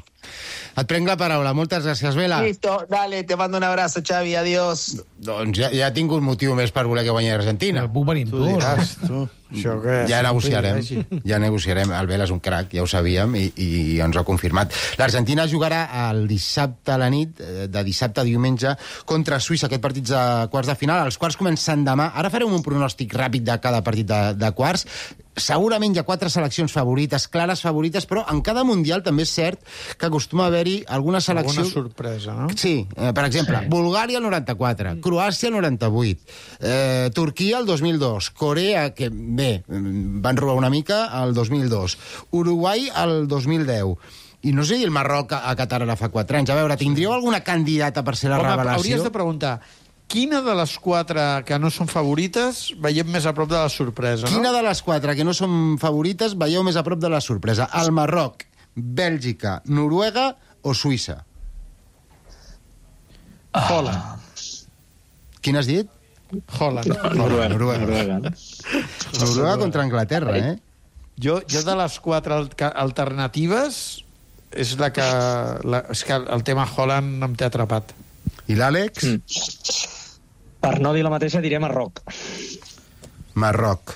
et prenc la paraula. Moltes gràcies, Vela. Listo, dale, te mando un abrazo, Xavi, adiós. Doncs ja tinc un motiu més per voler que guanyi Argentina. Puc venir amb tu, diràs, tu. Això que ja negociarem. El Vela és un crac, ja ho sabíem, i ens ho ha confirmat. L'Argentina jugarà el dissabte a la nit, de dissabte a diumenge, contra Suïssa, aquest partit de quarts de final. Els quarts comencen demà. Ara farem un pronòstic ràpid de cada partit de quarts. Segurament hi ha 4 seleccions favorites, clares favorites, però en cada Mundial també és cert que acostuma a haver-hi alguna selecció... Alguna sorpresa, no? Sí, per exemple, Bulgària el 94, Croàcia el 98, Turquia el 2002, Corea, que bé, van robar una mica, el 2002, Uruguai el 2010, i no sé dir el Marroc a Qatar ara fa 4 anys. A veure, tindríeu alguna candidata per ser la revelació? Hauries de preguntar... Quina de les 4 que no són favorites veiem més a prop de la sorpresa, no? Quina de les 4 que no són favorites veieu més a prop de la sorpresa? El Marroc, Bèlgica, Noruega o Suïssa? Holland. Quin has dit? Holland. Noruega contra Anglaterra, eh? Jo de les 4 alternatives és la que... És que el tema Holland em té atrapat. I l'Àlex? Per no dir la mateixa, diré Marroc. Marroc.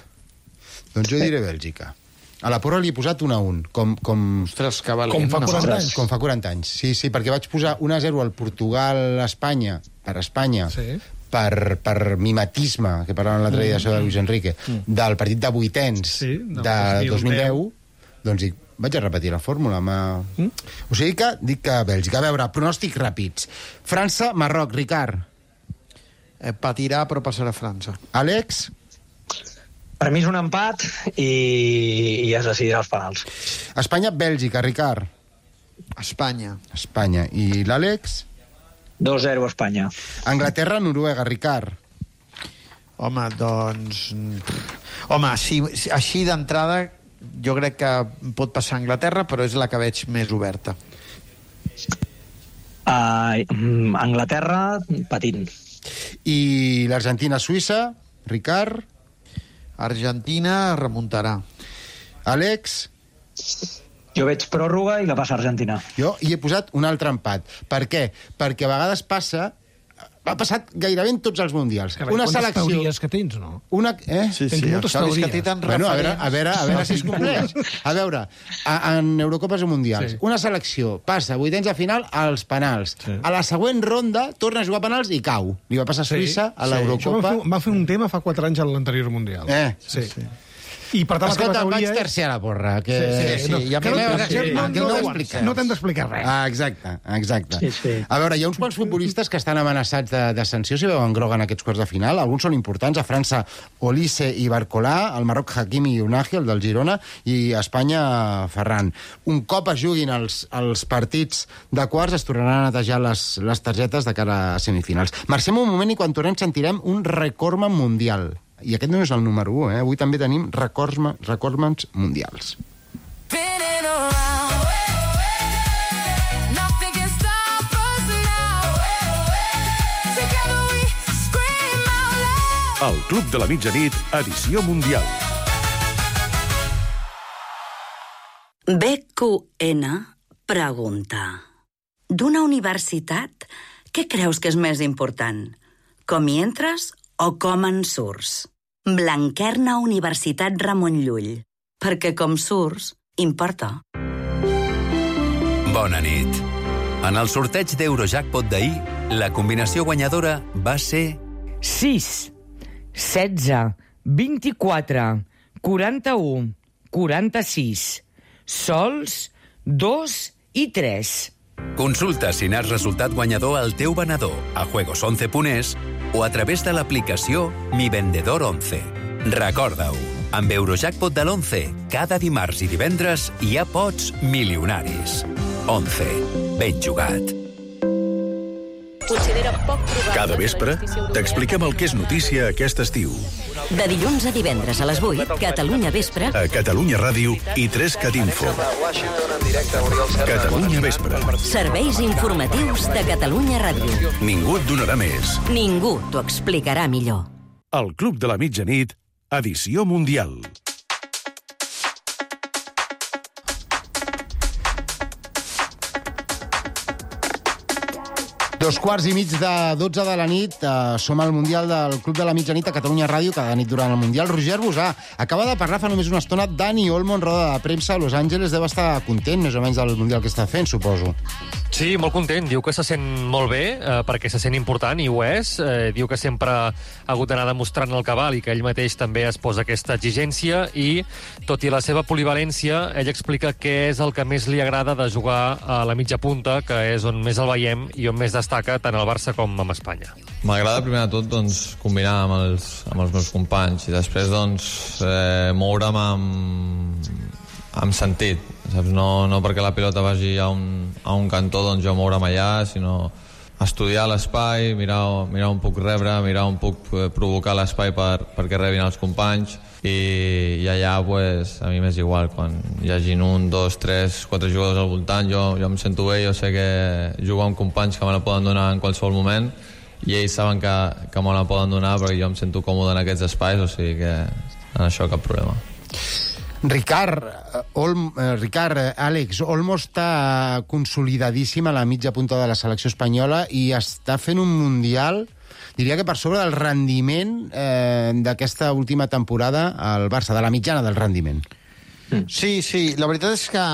Doncs jo diré Bèlgica. A la porra li he posat 1-1, Ostres, que valent. Com fa 40 anys. Com fa 40 anys. Sí, perquè vaig posar 1-0 al Portugal-Espanya, per Espanya, per mimetisme, que parlaven l'altre dia de Luis Enrique, del partit de vuitens de 2010, doncs dic, Vaig a repetir la fórmula. O sigui que dic que Bèlgica. A veure, pronòstics ràpids. França, Marroc, Ricard. Patirà, però passarà a França. Àlex? Per mi és un empat i es decidirà als penals. Espanya, Bèlgica, Ricard. Espanya. Espanya. I l'Àlex? 2-0 Espanya. Anglaterra, Noruega, Ricard. Home, doncs... Home, així d'entrada jo crec que pot passar a Anglaterra, però és la que veig més oberta. Anglaterra, patint. I l'Argentina, Suïssa, Ricard. Argentina remuntarà. Àlex? Jo veig pròrroga i la passa Argentina. Jo hi he posat un altre empat. Per què? Perquè a vegades passa... Ha passat gairebé en tots els mundials. Una selecció... Quantes teories que tens, no? Sí, tens moltes teories. Que té tant bueno, a veure si es compleix. A veure, en Eurocopes o Mundials, una selecció passa a vuitens de final als penals. A la següent ronda torna a jugar a penals i cau. Li va passar a Suïssa a l'Eurocopa. Això va fer un tema fa 4 anys a l'anterior Mundial. Sí. I per tant, escolta, vaig tercer a la porra. Que... No t'hem d'explicar res. Exacte. Sí. A veure, hi ha uns quants futbolistes que estan amenaçats de sanció si veuen groga en aquests quarts de final. Alguns són importants. A França, Olise i Barcolà. Al Marroc, Hakimi i Unagi, el del Girona. I a Espanya, Ferran. Un cop es juguin els partits de quarts, es tornaran a netejar les targetes de cara a semifinals. Marxem un moment i quan tornem sentirem un recordman mundial. I aquest no és el número 1, Avui també tenim recordmans mundials. El Club de la Mitjanit, edició mundial. BQN pregunta: d'una universitat, què creus que és més important? Com hi entres o com en surts? Blanquerna Universitat Ramon Llull. Perquè com surts, importa. Bona nit. En el sorteig d'Eurojackpot d'ahir, la combinació guanyadora va ser... 6, 16, 24, 41, 46, sols, 2 i 3. Consulta si n'has resultat guanyador al teu venedor a juegos11.es o a través de l'aplicació Mi Vendedor 11. Recorda-ho, amb Eurojackpot de l'11, cada dimarts i divendres hi ha pots milionaris. 11. Ben jugat. Cada vespre t'expliquem el que és notícia aquest estiu. De dilluns a divendres a les 8, Catalunya Vespre. A Catalunya Ràdio i 3CatInfo. Catalunya Vespre. Serveis informatius de Catalunya Ràdio. Ningú et donarà més. Ningú t'ho explicarà millor. El Club de la Mitjanit, edició mundial. Dos quarts i mig de 12 de la nit, som al Mundial del Club de la Mitjanit a Catalunya Ràdio, cada nit durant el Mundial. Roger Bosà acaba de parlar fa només una estona Dani Olmo en roda de premsa a Los Angeles. Deu estar content, més o menys, del Mundial que està fent, suposo. Sí, molt content. Diu que se sent molt bé, perquè se sent important, i ho és. Diu que sempre ha hagut d'anar demostrant el cabal i que ell mateix també es posa aquesta exigència i, tot i la seva polivalència, ell explica què és el que més li agrada de jugar a la mitja punta, que és on més el veiem i on més destaca tant al Barça com amb Espanya. M'agrada primer de tot doncs, combinar amb els meus companys i després doncs, moure'm amb sentit, saps? No perquè la pilota vagi a un cantó, doncs jo moure'm allà, sinó estudiar l'espai, mirar on puc rebre, mirar on puc provocar l'espai perquè rebin els companys i allà pues, a mi m'és igual, quan hi hagin 1, 2, 3, 4 jugadors al voltant, jo em sento bé, jo sé que jugo amb companys que me la poden donar en qualsevol moment i ells saben que me la poden donar perquè jo em sento còmode en aquests espais, o sigui que en això cap problema. Ricard, Àlex, Olmo està consolidadíssim a la mitja punta de la selecció espanyola i està fent un Mundial, diria que per sobre del rendiment d'aquesta última temporada al Barça, de la mitjana del rendiment. Sí, la veritat és que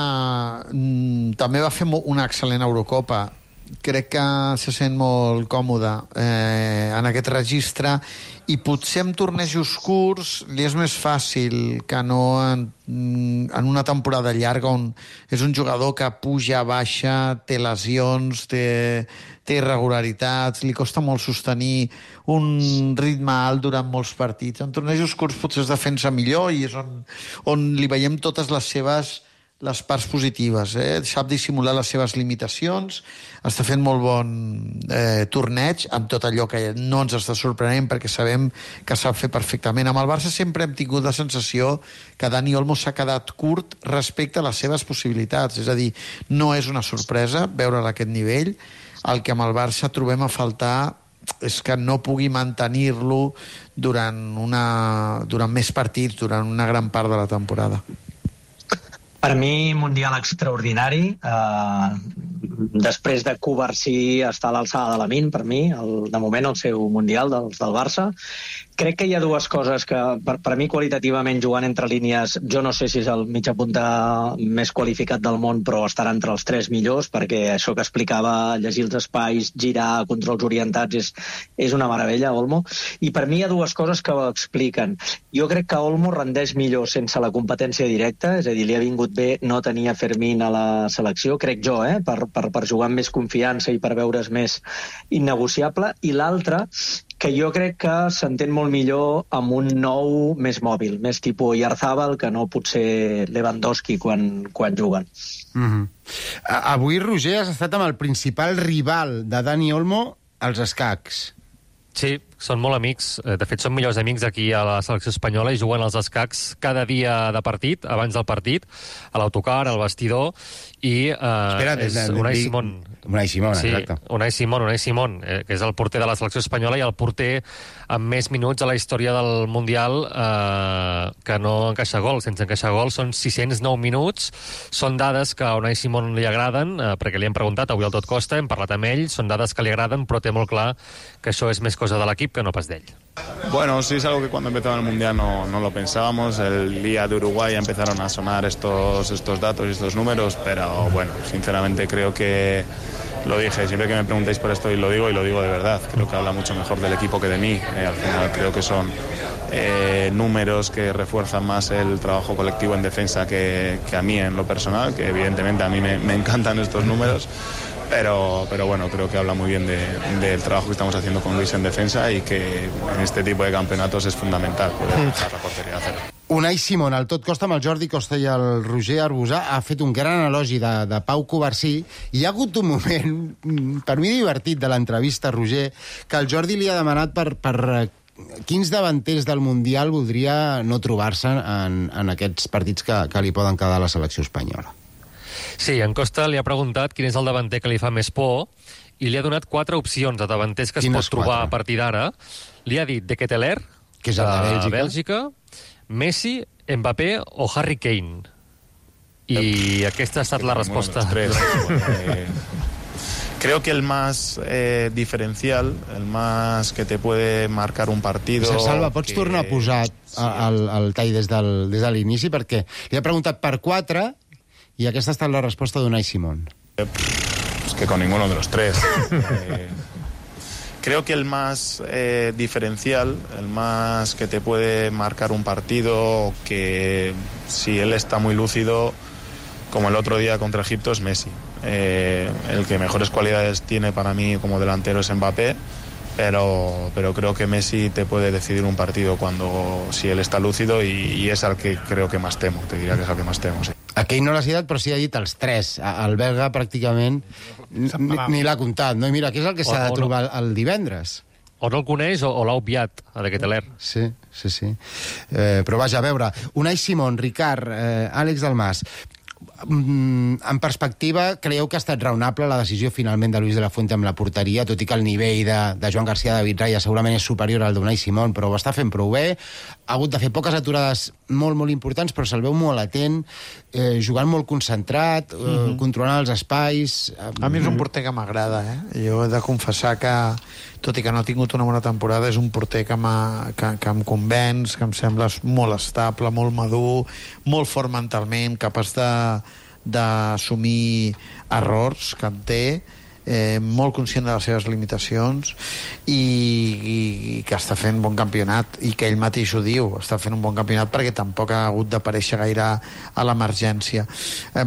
també va fer una excel·lent Eurocopa crec que se sent molt còmode en aquest registre, i potser en tornejos curts li és més fàcil que no en una temporada llarga, on és un jugador que puja, baixa, té lesions, té irregularitats, li costa molt sostenir un ritme alt durant molts partits. En tornejos curts potser es defensa millor i és on li veiem totes les parts positives, sap dissimular les seves limitacions, està fent molt bon torneig amb tot allò que no ens està sorprenent, perquè sabem que sap fer perfectament. Amb el Barça sempre hem tingut la sensació que Dani Olmo s'ha quedat curt respecte a les seves possibilitats, és a dir, no és una sorpresa veure'l a aquest nivell. El que amb el Barça trobem a faltar és que no pugui mantenir-lo durant més partits, durant una gran part de la temporada. Per mi, Mundial extraordinari. Després de Covarsí està a l'alçada de Lamine, per mi, de moment el seu Mundial del Barça. Crec que hi ha dues coses que, per mi, qualitativament, jugant entre línies, jo no sé si és el mitja punta més qualificat del món, però estarà entre els 3 millors, perquè això que explicava, llegir els espais, girar, controls orientats, és una meravella, Olmo. I per mi hi ha dues coses que ho expliquen. Jo crec que Olmo rendeix millor sense la competència directa, és a dir, li ha vingut bé no tenir a Fermín a la selecció, crec jo, per jugar amb més confiança i per veure's més innegociable. I l'altra, que jo crec que s'entén molt millor amb un nou més mòbil, més tipus Oyarzabal, que no potser Lewandowski quan juguen. Avui, Roger, has estat amb el principal rival de Dani Olmo als escacs. Sí, són molt amics. De fet, són millors amics aquí a la selecció espanyola i juguen als escacs cada dia de partit, abans del partit, a l'autocar, al vestidor, i és Unai Simón. Unai Simón, sí, exacte. Unai Simón, que és el porter de la selecció espanyola i el porter amb més minuts a la història del Mundial que no encaixa gol. Sense encaixar gol són 609 minuts. Són dades que a Unai Simón li agraden, perquè li hem preguntat avui al Tot Costa, hem parlat amb ell, són dades que li agraden, però té molt clar que això és més cosa de l'equip que no pas d'ell. Bueno, sí, es algo que cuando empezaba el Mundial no lo pensábamos. El día de Uruguay ya empezaron a sonar estos datos y estos números, pero bueno, sinceramente creo que lo dije, siempre que me preguntáis por esto y lo digo de verdad. Creo que habla mucho mejor del equipo que de mí. Al final creo que son números que refuerzan más el trabajo colectivo en defensa que a mí en lo personal, que evidentemente a mí me encantan estos números. Pero bueno, creo que habla muy bien del trabajo que estamos haciendo con Luis en defensa y que en este tipo de campeonatos es fundamental poder dejar la portería a cero. Unai Simón, al Tot Costa, amb el Jordi Costa i el Roger Arbusà, ha fet un gran elogi de Pau Covarsí, i hi ha hagut un moment, per mi divertit, de l'entrevista, Roger, que el Jordi li ha demanat per quins davanters del Mundial voldria no trobar-se en aquests partits que li poden quedar a la selecció espanyola. Sí, en Costa li ha preguntat quin és el davanter que li fa més por i li ha donat 4 opcions de davanters que es pot trobar a partir d'ara. Li ha dit De Ketelaere, que és el de Bèlgica, Messi, Mbappé o Harry Kane. I aquesta ha estat la resposta. Creo que el más diferencial, el más que te puede marcar un partido... Salva, pots tornar a posar el tall des de l'inici? Perquè li ha preguntat per 4 i aquesta ha estat la resposta d'Unai Simón. Es que con ninguno de los 3. Creo que el más diferencial, el más que te puede marcar un partido, que si él está muy lúcido, como el otro día contra Egipto, es Messi. El que mejores cualidades tiene para mí como delantero es Mbappé, pero creo que Messi te puede decidir un partido si él está lúcido, y es al que creo que más temo. Te diría que es al que más temo, sí. Aquell no l'ha citat, però sí ha dit els 3. El belga pràcticament ni l'ha comptat, no? I mira, què és el que s'ha de trobar el divendres? O no el coneix o l'ha obviat, a De Ketelaere. Sí. Però vaja, a veure, Unai Simón, Ricard, Àlex Dalmas, en perspectiva, creieu que ha estat raonable la decisió finalment de Luis de la Fuente amb la porteria, tot i que el nivell de Joan García, David Raya segurament és superior al d'Unai Simón, però ho està fent prou bé, ha hagut de fer poques aturades molt, molt importants, però se'l veu molt atent, jugant molt concentrat, controlant els espais... A mi és un porter que m'agrada, Jo he de confessar que, tot i que no ha tingut una bona temporada, és un porter que em convenç, que em sembla molt estable, molt madur, molt fort mentalment, capaç d'assumir errors que en té. molt conscient de les seves limitacions i que està fent bon campionat, i que ell mateix ho diu, està fent un bon campionat perquè tampoc ha hagut d'aparèixer gaire a l'emergència. A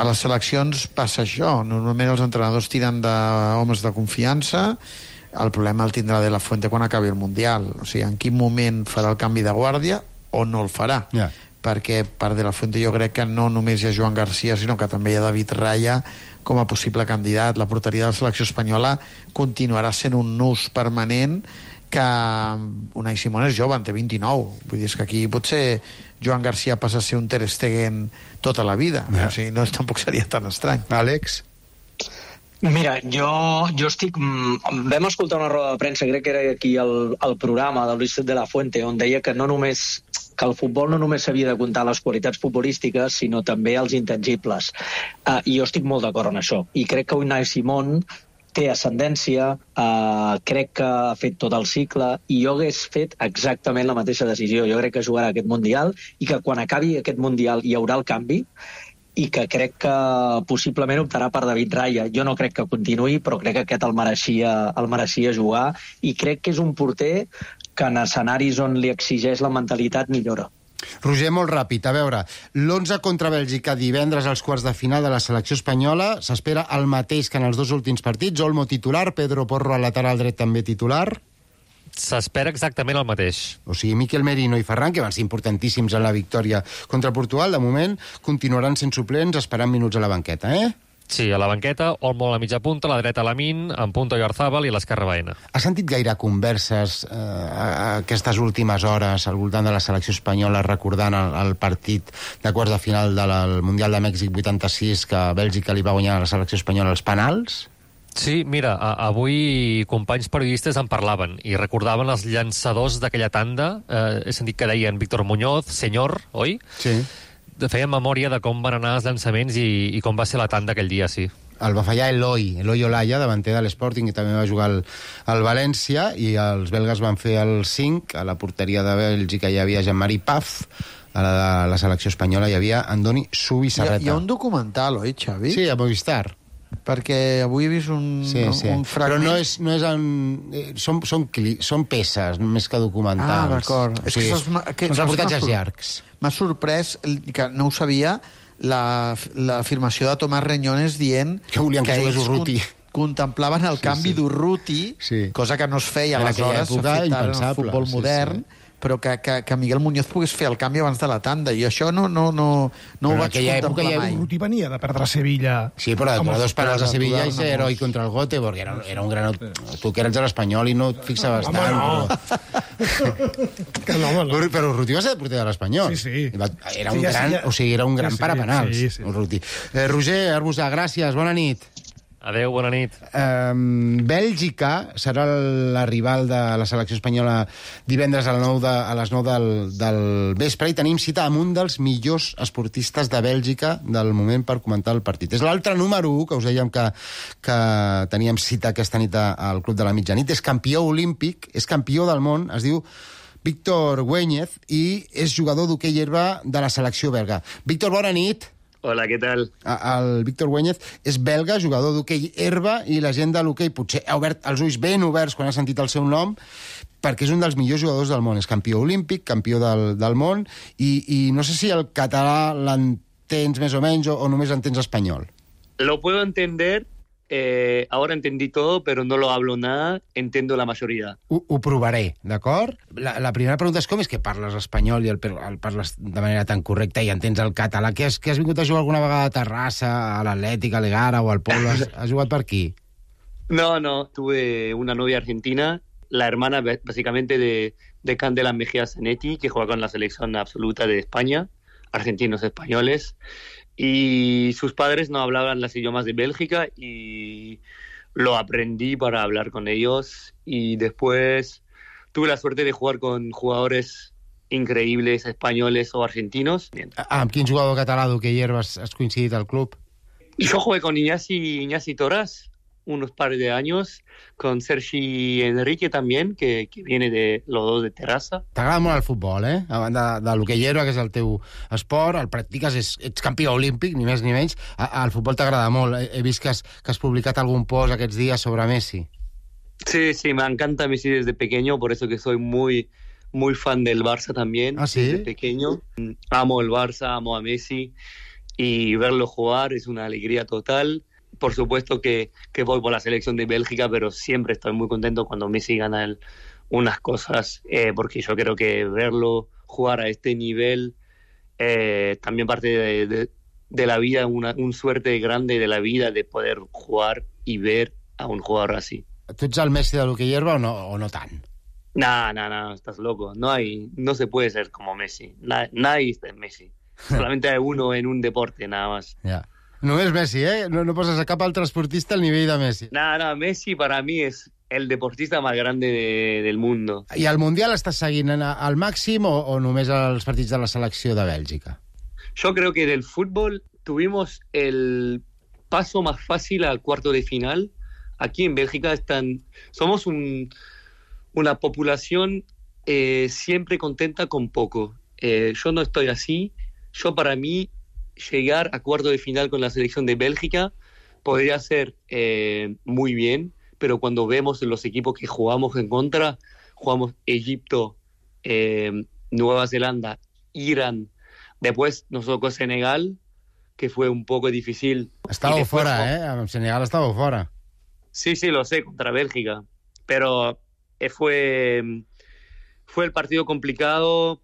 les seleccions passa això, normalment els entrenadors tiren d'homes de confiança, el problema el tindrà De La Fuente quan acabi el Mundial, o sigui, en quin moment farà el canvi de guàrdia o no el farà, perquè per De La Fuente jo crec que no només hi ha Joan Garcia, sinó que també hi ha David Raya com a possible candidat. La porteria de la selecció espanyola continuarà sent un nus permanent, que Unai Simón és jove, en té 29, vull dir, és que aquí potser Joan Garcia passa a ser un Ter Stegen tota la vida, o sigui, no, tampoc seria tan estrany. Àlex? Mira, jo estic... Vam escoltar una roda de premsa, crec que era aquí al programa de Luis de la Fuente, on deia que el futbol no només s'havia de comptar les qualitats futbolístiques, sinó també els intangibles. I jo estic molt d'acord en això. I crec que Unai Simón té ascendència, crec que ha fet tot el cicle, i jo hagués fet exactament la mateixa decisió. Jo crec que jugarà aquest Mundial i que quan acabi aquest Mundial hi haurà el canvi, i que crec que possiblement optarà per David Raya. Jo no crec que continuï, però crec que aquest el mereixia jugar, i crec que és un porter que en escenaris on li exigeix la mentalitat millora. Roger, molt ràpid, a veure, l'11 contra Bèlgica divendres als quarts de final de la selecció espanyola s'espera el mateix que en els dos últims partits. Olmo titular, Pedro Porro al lateral dret també titular. S'espera exactament el mateix. O sigui, Miquel Merino i Ferran, que van ser importantíssims en la victòria contra Portugal, de moment continuaran sent suplents esperant minuts a la banqueta, Sí, a la banqueta, Olmo a la mitja punta, a la dreta Lamine, en punta Oyarzabal i a l'esquerra Baena. Has sentit gaire converses aquestes últimes hores al voltant de la selecció espanyola recordant el partit de quarts de final del Mundial de Mèxic 86 que Bèlgica li va guanyar a la selecció espanyola als penals? Sí, mira, avui companys periodistes en parlaven i recordaven els llançadors d'aquella tanda. He sentit que deien Víctor Muñoz, senyor, oi? Sí. Feien memòria de com van anar els llançaments i com va ser la tanda aquell dia, sí. El va fallar Eloi Olaya, davanter de l'Sporting, que també va jugar al València, i els belgues van fer el 5. A la porteria de Bèlgica hi havia Jean-Marie Paf, a la selecció espanyola hi havia Andoni Subisarreta. Hi ha un documental, oi, Xavi? Sí, a Movistar. Perquè avui he vist un fragment. Però no és són peces més que documentals. D'acord. O sigui, són reportatges llargs. M'ha sorprès, que no ho sabia, l'afirmació de Tomàs Reñones dient que volien que jugués Urruti. Contemplaven el canvi d'Urruti, cosa que no es feia aleshores, s'ha fet ara en el futbol modern, però que Miguel Muñoz pogués fer el canvi abans de la tanda, i això no ho vaig contemplar mai. Urruti venia de perdre a Sevilla. Sí, però de dos penals a Sevilla i ser heroi contra el Göteborg. Era un gran... Tu que eres de l'Espanyol i no et fixaves tant. Però Urruti va ser porter de l'Espanyol. Sí. Era un gran, o sigui, era un gran parapenals, Urruti. Roger Arbusà, gràcies, bona nit. Adéu, bona nit. Bèlgica serà la rival de la selecció espanyola divendres a les 9 del vespre, i tenim cita amb un dels millors esportistes de Bèlgica del moment per comentar el partit. És l'altre número 1, que us dèiem que teníem cita aquesta nit al Club de la Mitjanit. És campió olímpic, és campió del món, es diu Víctor Weñez, i és jugador d'hoquei herba de la selecció belga. Víctor, bona nit. Hola, què tal? El Víctor Weñez és belga, jugador d'hoquei herba, i la gent de l'hoquei potser ha obert els ulls ben oberts quan ha sentit el seu nom, perquè és un dels millors jugadors del món. És campió olímpic, campió del món, i no sé si el català l'entens més o menys o només entens espanyol. Lo puedo entender, ahora entendí todo, pero no lo hablo nada, entiendo la mayoría. Ho provaré, d'acord? La primera pregunta és com és que parles espanyol i el parles de manera tan correcta i entens el català? Que has vingut a jugar alguna vegada a Terrassa, a l'Atlètic, a l'Egara o al Pol? Has jugat per aquí? No, tuve una novia argentina, la hermana básicamente de Candela Mejía Zanetti, que juega con la selección absoluta de España, argentinos españoles, y sus padres no hablaban los idiomas de Bélgica y lo aprendí para hablar con ellos, y después tuve la suerte de jugar con jugadores increíbles españoles o argentinos. Amb quin jugador català d'hoquei herba has coincidit al club? Yo jugué con Iñasi Torras, unos par de años, con Sergi Enrique también, que viene de los dos de Terrassa. T'agrada molt el futbol, eh? A banda de l'hoquei herba, que és el teu esport, el practiques, ets campió olímpic, ni més ni menys. El futbol t'agrada molt. He vist que has publicat algun post aquests dies sobre Messi. Sí, me encanta Messi desde pequeño, por eso que soy muy fan del Barça también. ¿Ah, sí? Desde pequeño. Amo el Barça, amo a Messi, y verlo jugar es una alegría total. Por supuesto que voy por la selección de Bélgica, pero siempre estoy muy contento cuando Messi gana unas cosas, porque yo creo que verlo jugar a este nivel también parte de la vida, un suerte grande de la vida de poder jugar y ver a un jugador así. Tu ets el Messi de l'hoquei herba o no tant? No, estás loco. No se puede ser como Messi. Nadie es Messi. Solamente hay uno en un deporte, nada más. Ja. Només Messi, eh? No poses a cap altre esportista al nivell de Messi. No, Messi para mí es el deportista más grande del mundo. I el Mundial estàs seguint al màxim o només els partits de la selecció de Bèlgica? Yo creo que del fútbol tuvimos el paso más fácil al cuarto de final. Aquí en Bélgica somos una población siempre contenta con poco. Yo no estoy así. Yo, para mí, llegar a cuarto de final con la selección de Bélgica podría ser muy bien, pero cuando vemos los equipos que jugamos en contra, jugamos Egipto, Nueva Zelanda, Irán, después nos tocó Senegal, que fue un poco difícil. Estàveu fora, Amb Senegal estàveu fora. Sí, lo sé, contra Bélgica. Pero fue el partido complicado,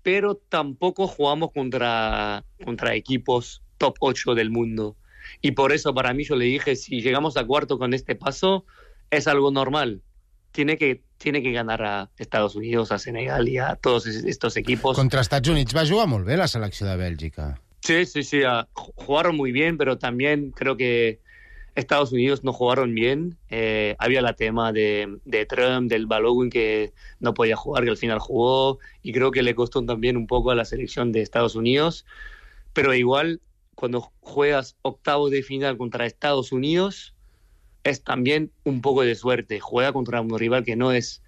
pero tampoco jugamos contra equipos top 8 del mundo. Y por eso para mí yo le dije, si llegamos a cuarto con este paso, es algo normal. Tiene que ganar a Estados Unidos, a Senegal y a todos estos equipos. Contra Estats Units va jugar molt bé la selecció de Bèlgica. Sí, jugaron muy bien, pero también creo que Estados Unidos no jugaron bien. Había el tema de Trump, del Balogun, que no podía jugar, que al final jugó, y creo que le costó también un poco a la selección de Estados Unidos. Pero igual, cuando juegas octavos de final contra Estados Unidos, es también un poco de suerte. Juega contra un rival que no es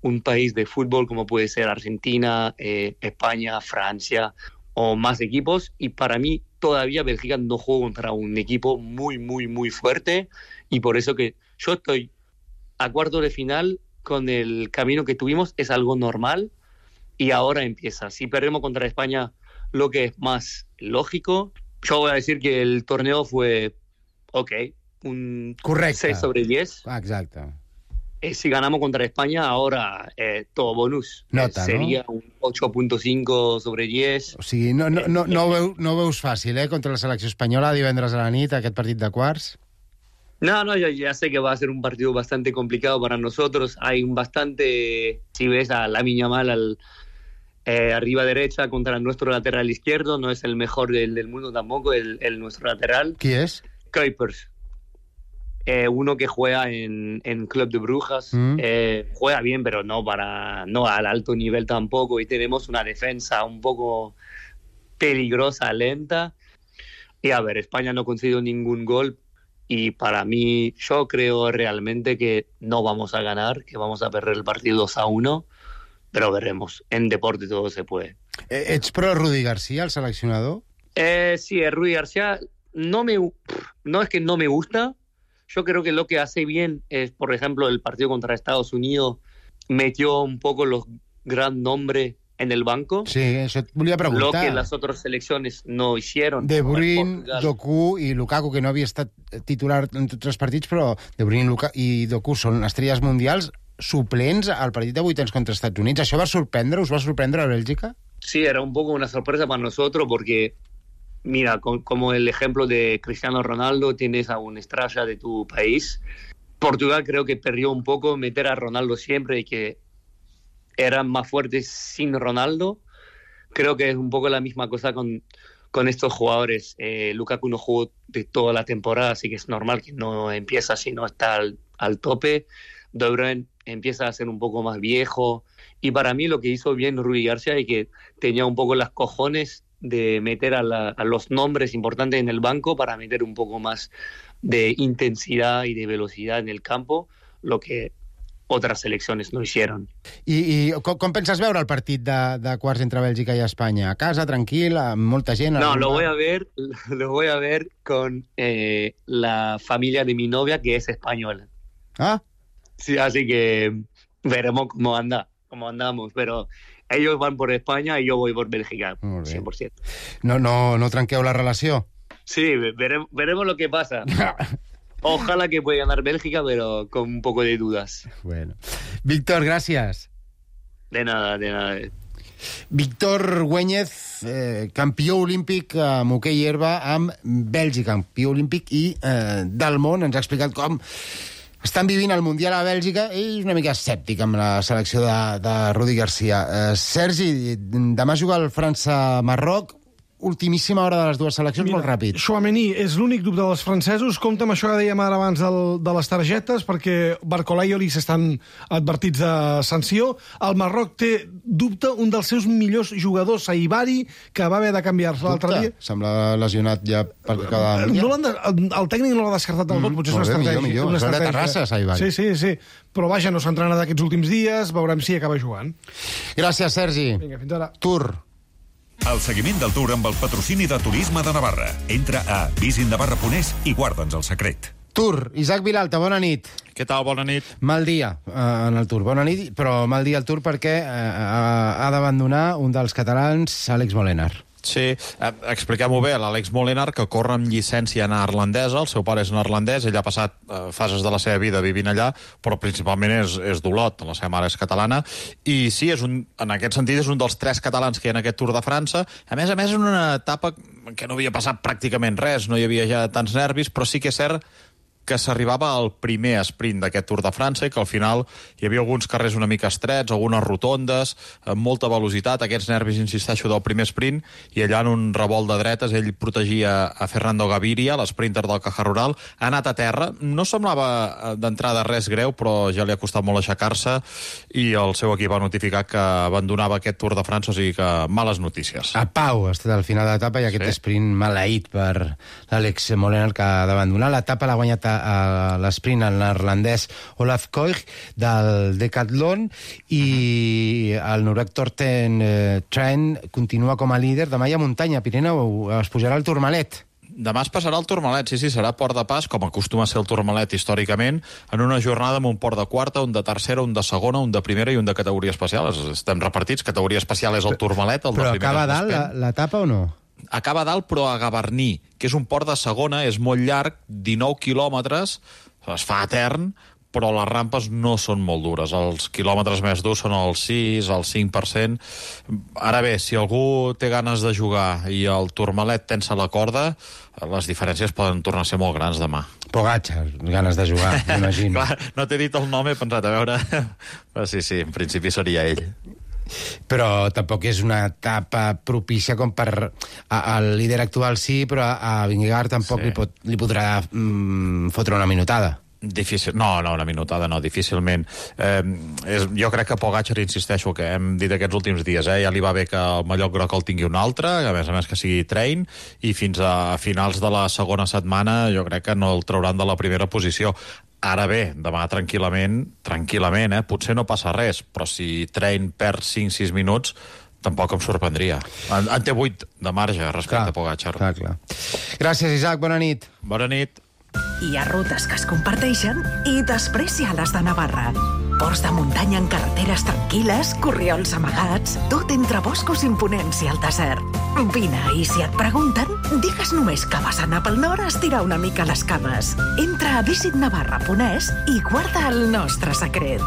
un país de fútbol como puede ser Argentina, España, Francia o más equipos, y para mí todavía Bélgica no juega contra un equipo muy, muy, muy fuerte, y por eso que yo estoy a cuarto de final con el camino que tuvimos, es algo normal, y ahora empieza. Si perdemos contra España, lo que es más lógico, yo voy a decir que el torneo fue un correcte. 6 sobre 10. Exacte. Si ganamos contra España, ahora todo bonus. Nota, sería un 8.5 sobre 10. O sigui, no veus fàcil, contra la selecció espanyola divendres a la nit, aquest partit de quarts? No, ya sé que va a ser un partido bastante complicado para nosotros. Hay bastante, si ves a Lamine Yamal arriba derecha contra nuestro lateral izquierdo, no es el mejor del mundo tampoco, el nuestro lateral. ¿Qui és? Kuipers. Uno que juega en Club de Brujas, juega bien, pero no al alto nivel tampoco, y tenemos una defensa un poco peligrosa, lenta. Y a ver, España no ha conseguido ningún gol, y para mí, yo creo realmente que no vamos a ganar, que vamos a perder el partido 2-1, pero veremos. En deporte todo se puede. Ets pro Rudi García, el seleccionador? Sí, Rudi García no es que no me gusta. Yo creo que lo que hace bien es, por ejemplo, el partido contra Estados Unidos, metió un poco los gran nombres en el banco. Sí, això et volia preguntar. Lo que las otras selecciones no hicieron. De Bruyne, Doku i Lukaku, que no havia estat titular en tots els partits, però De Bruyne i Doku són estrelles mundials suplents al partit de vuitens contra Estats Units. Això va sorprendre? Us va sorprendre a Bèlgica? Sí, era un poco una sorpresa para nosotros porque... Mira, como el ejemplo de Cristiano Ronaldo, tienes a una estrella de tu país. Portugal creo que perdió un poco meter a Ronaldo siempre y que eran más fuertes sin Ronaldo. Creo que es un poco la misma cosa con estos jugadores. Lukaku no jugó de toda la temporada, así que es normal que no empieza si no está al tope. De Bruyne empieza a ser un poco más viejo. Y para mí lo que hizo bien Rudi García es que tenía un poco las cojones de meter a los nombres importantes en el banco para meter un poco más de intensidad y de velocidad en el campo, lo que otras selecciones no hicieron. I com penses veure el partit de quarts entre Bèlgica i Espanya? A casa, tranquil, amb molta gent? No, lo voy a ver con la familia de mi novia, que es española. Ah. Sí, así que veremos cómo andamos, pero ellos van por España y yo voy por Bélgica, 100%. No trenqueu la relació? Sí, veremos lo que pasa. Ojalá que pueda ganar Bélgica, pero con un poco de dudas. Bueno. Víctor, gràcies. De nada. Víctor Güéñez, campió olímpic amb hoquei herba amb Bèlgica, campió olímpic i del món. Ens ha explicat com estan vivint el Mundial a Bèlgica. Ell és una mica escèptic amb la selecció de Rudi Garcia. Sergi, demà juga el França-Marroc. Ultimíssima hora de les dues seleccions, molt ràpid. Chouameni és l'únic dubte dels francesos. Compte amb això que dèiem ara abans de les targetes, perquè Barcola i Olis estan advertits de sanció. El Marroc té dubte un dels seus millors jugadors, Saibari, que va haver de canviar-se l'altre dia. Sembla lesionat ja perquè cada dia. El tècnic no l'ha descartat del tot, potser és una estratègia. Millor. És de Terrassa, Saibari. Sí. Però vaja, no s'ha entrenat aquests últims dies, veurem si acaba jugant. Gràcies, Sergi. Vinga, fins ara. Tour. El seguiment del Tour amb el patrocini de Turisme de Navarra. Entra a visitnavarra.es i guarda'ns el secret. Tour. Isaac Vilalta, bona nit. Què tal? Bona nit. Mal dia en el Tour. Bona nit, però mal dia al Tour perquè ha d'abandonar un dels catalans, Àlex Molenar. Sí, expliquem-ho bé, l'Àlex Molenar, que corre amb llicència neerlandesa, el seu pare és neerlandès, ell ha passat fases de la seva vida vivint allà, però principalment és d'Olot, la seva mare és catalana, i sí, en aquest sentit és un dels 3 catalans que hi ha en aquest Tour de França, a més en una etapa que no havia passat pràcticament res, no hi havia ja tants nervis, però sí que és cert que s'arribava al primer sprint d'aquest Tour de França i que al final hi havia alguns carrers una mica estrets, algunes rotondes, amb molta velocitat, aquests nervis, insisteixo, del primer sprint, i allà en un revolt de dretes ell protegia a Fernando Gaviria, l'sprinter del Caja Rural, ha anat a terra, no semblava d'entrada res greu, però ja li ha costat molt aixecar-se i el seu equip va notificar que abandonava aquest Tour de França, o sigui que males notícies. A Pau ha estat al final de l'etapa i aquest sprint maleït per l'Àlex Molenar, que ha d'abandonar. L'etapa l'ha guanyat a l'esprint el neerlandès Olaf Koich del Decathlon i el noruec Torsten Tren continua com a líder. Demà hi ha muntanya, Pirineu, es pujarà el Tourmalet. Demà es passarà el Tourmalet, sí, serà port de pas, com acostuma a ser el Tourmalet històricament, en una jornada amb un port de quarta, un de tercera, un de segona, un de primera i un de categoria especial. Estem repartits, categoria especial és el Tourmalet, el de primera. Però acaba dalt l'etapa o no? Acaba dalt, però a Gavarní, que és un port de segona, és molt llarg, 19 quilòmetres, es fa etern, però les rampes no són molt dures. Els quilòmetres més durs són el 6, el 5%. Ara bé, si algú té ganes de jugar i el Tourmalet tensa la corda, les diferències poden tornar a ser molt grans demà. Pogacar, ganes de jugar, m'imagino. Clar, no t'he dit el nom, he pensat, a veure... Però sí, en principi seria ell. Però tampoc és una etapa propícia com per... El líder actual sí, però a Vingegaard tampoc li podrà fotre una minutada. Difícil. No, una minutada no, difícilment. Jo crec que Pogacar, insisteixo, que hem dit aquests últims dies, ja li va bé que el mallot groc el tingui un altre, a més que sigui train, i fins a finals de la segona setmana jo crec que no el trauran de la primera posició. Ara bé, demà tranquil·lament, potser no passa res, però si Train perd 5-6 minuts, tampoc em sorprendria. En té 8 de marge respecte a Pogacar. Clar. Gràcies, Isaac, bona nit. Bona nit. Hi ha rutes que es comparteixen i després hi ha les de Navarra. Ports de muntanya en carreteres tranquil·les, corriols amagats, tot entre boscos imponents i el desert. Vine, i si et pregunten, digues només que vas anar pel nord a estirar una mica les cames. Entra a visitnavarra.es i guarda el nostre secret.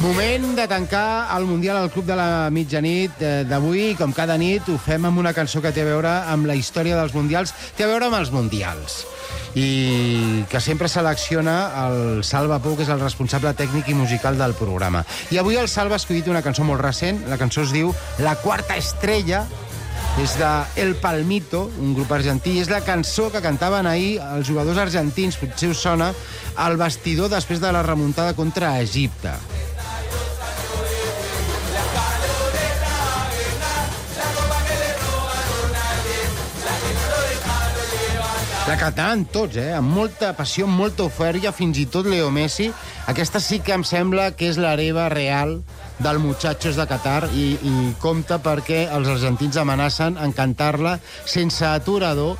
Moment de tancar el Mundial al Club de la Mitjanit d'avui. Com cada nit ho fem amb una cançó que té a veure amb la història dels Mundials, té a veure amb els Mundials. i que sempre selecciona el Salva Pou, que és el responsable tècnic i musical del programa. I avui el Salva ha escollit una cançó molt recent. La cançó es diu La Quarta Estrella, és de El Palmito, un grup argentí. És la cançó que cantaven ahir els jugadors argentins, potser us sona, al vestidor després de la remuntada contra Egipte. La cantaven tots, amb molta passió, amb molta eufòria, fins i tot Leo Messi. Aquesta sí que em sembla que és l'hereva real del Muchachos de Qatar i compta perquè els argentins amenacen en cantar-la sense aturador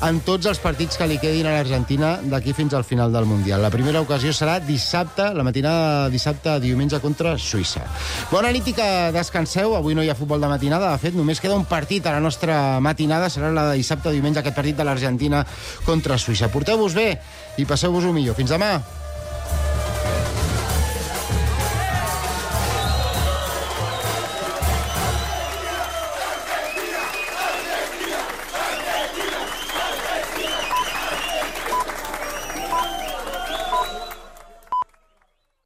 en tots els partits que li quedin a l'Argentina d'aquí fins al final del Mundial. La primera ocasió serà dissabte, la matinada de dissabte a diumenge contra Suïssa. Bona nit i que descanseu. Avui no hi ha futbol de matinada. De fet, només queda un partit a la nostra matinada. Serà la de dissabte a diumenge, aquest partit de l'Argentina contra Suïssa. Porteu-vos bé i passeu-vos-ho millor. Fins demà.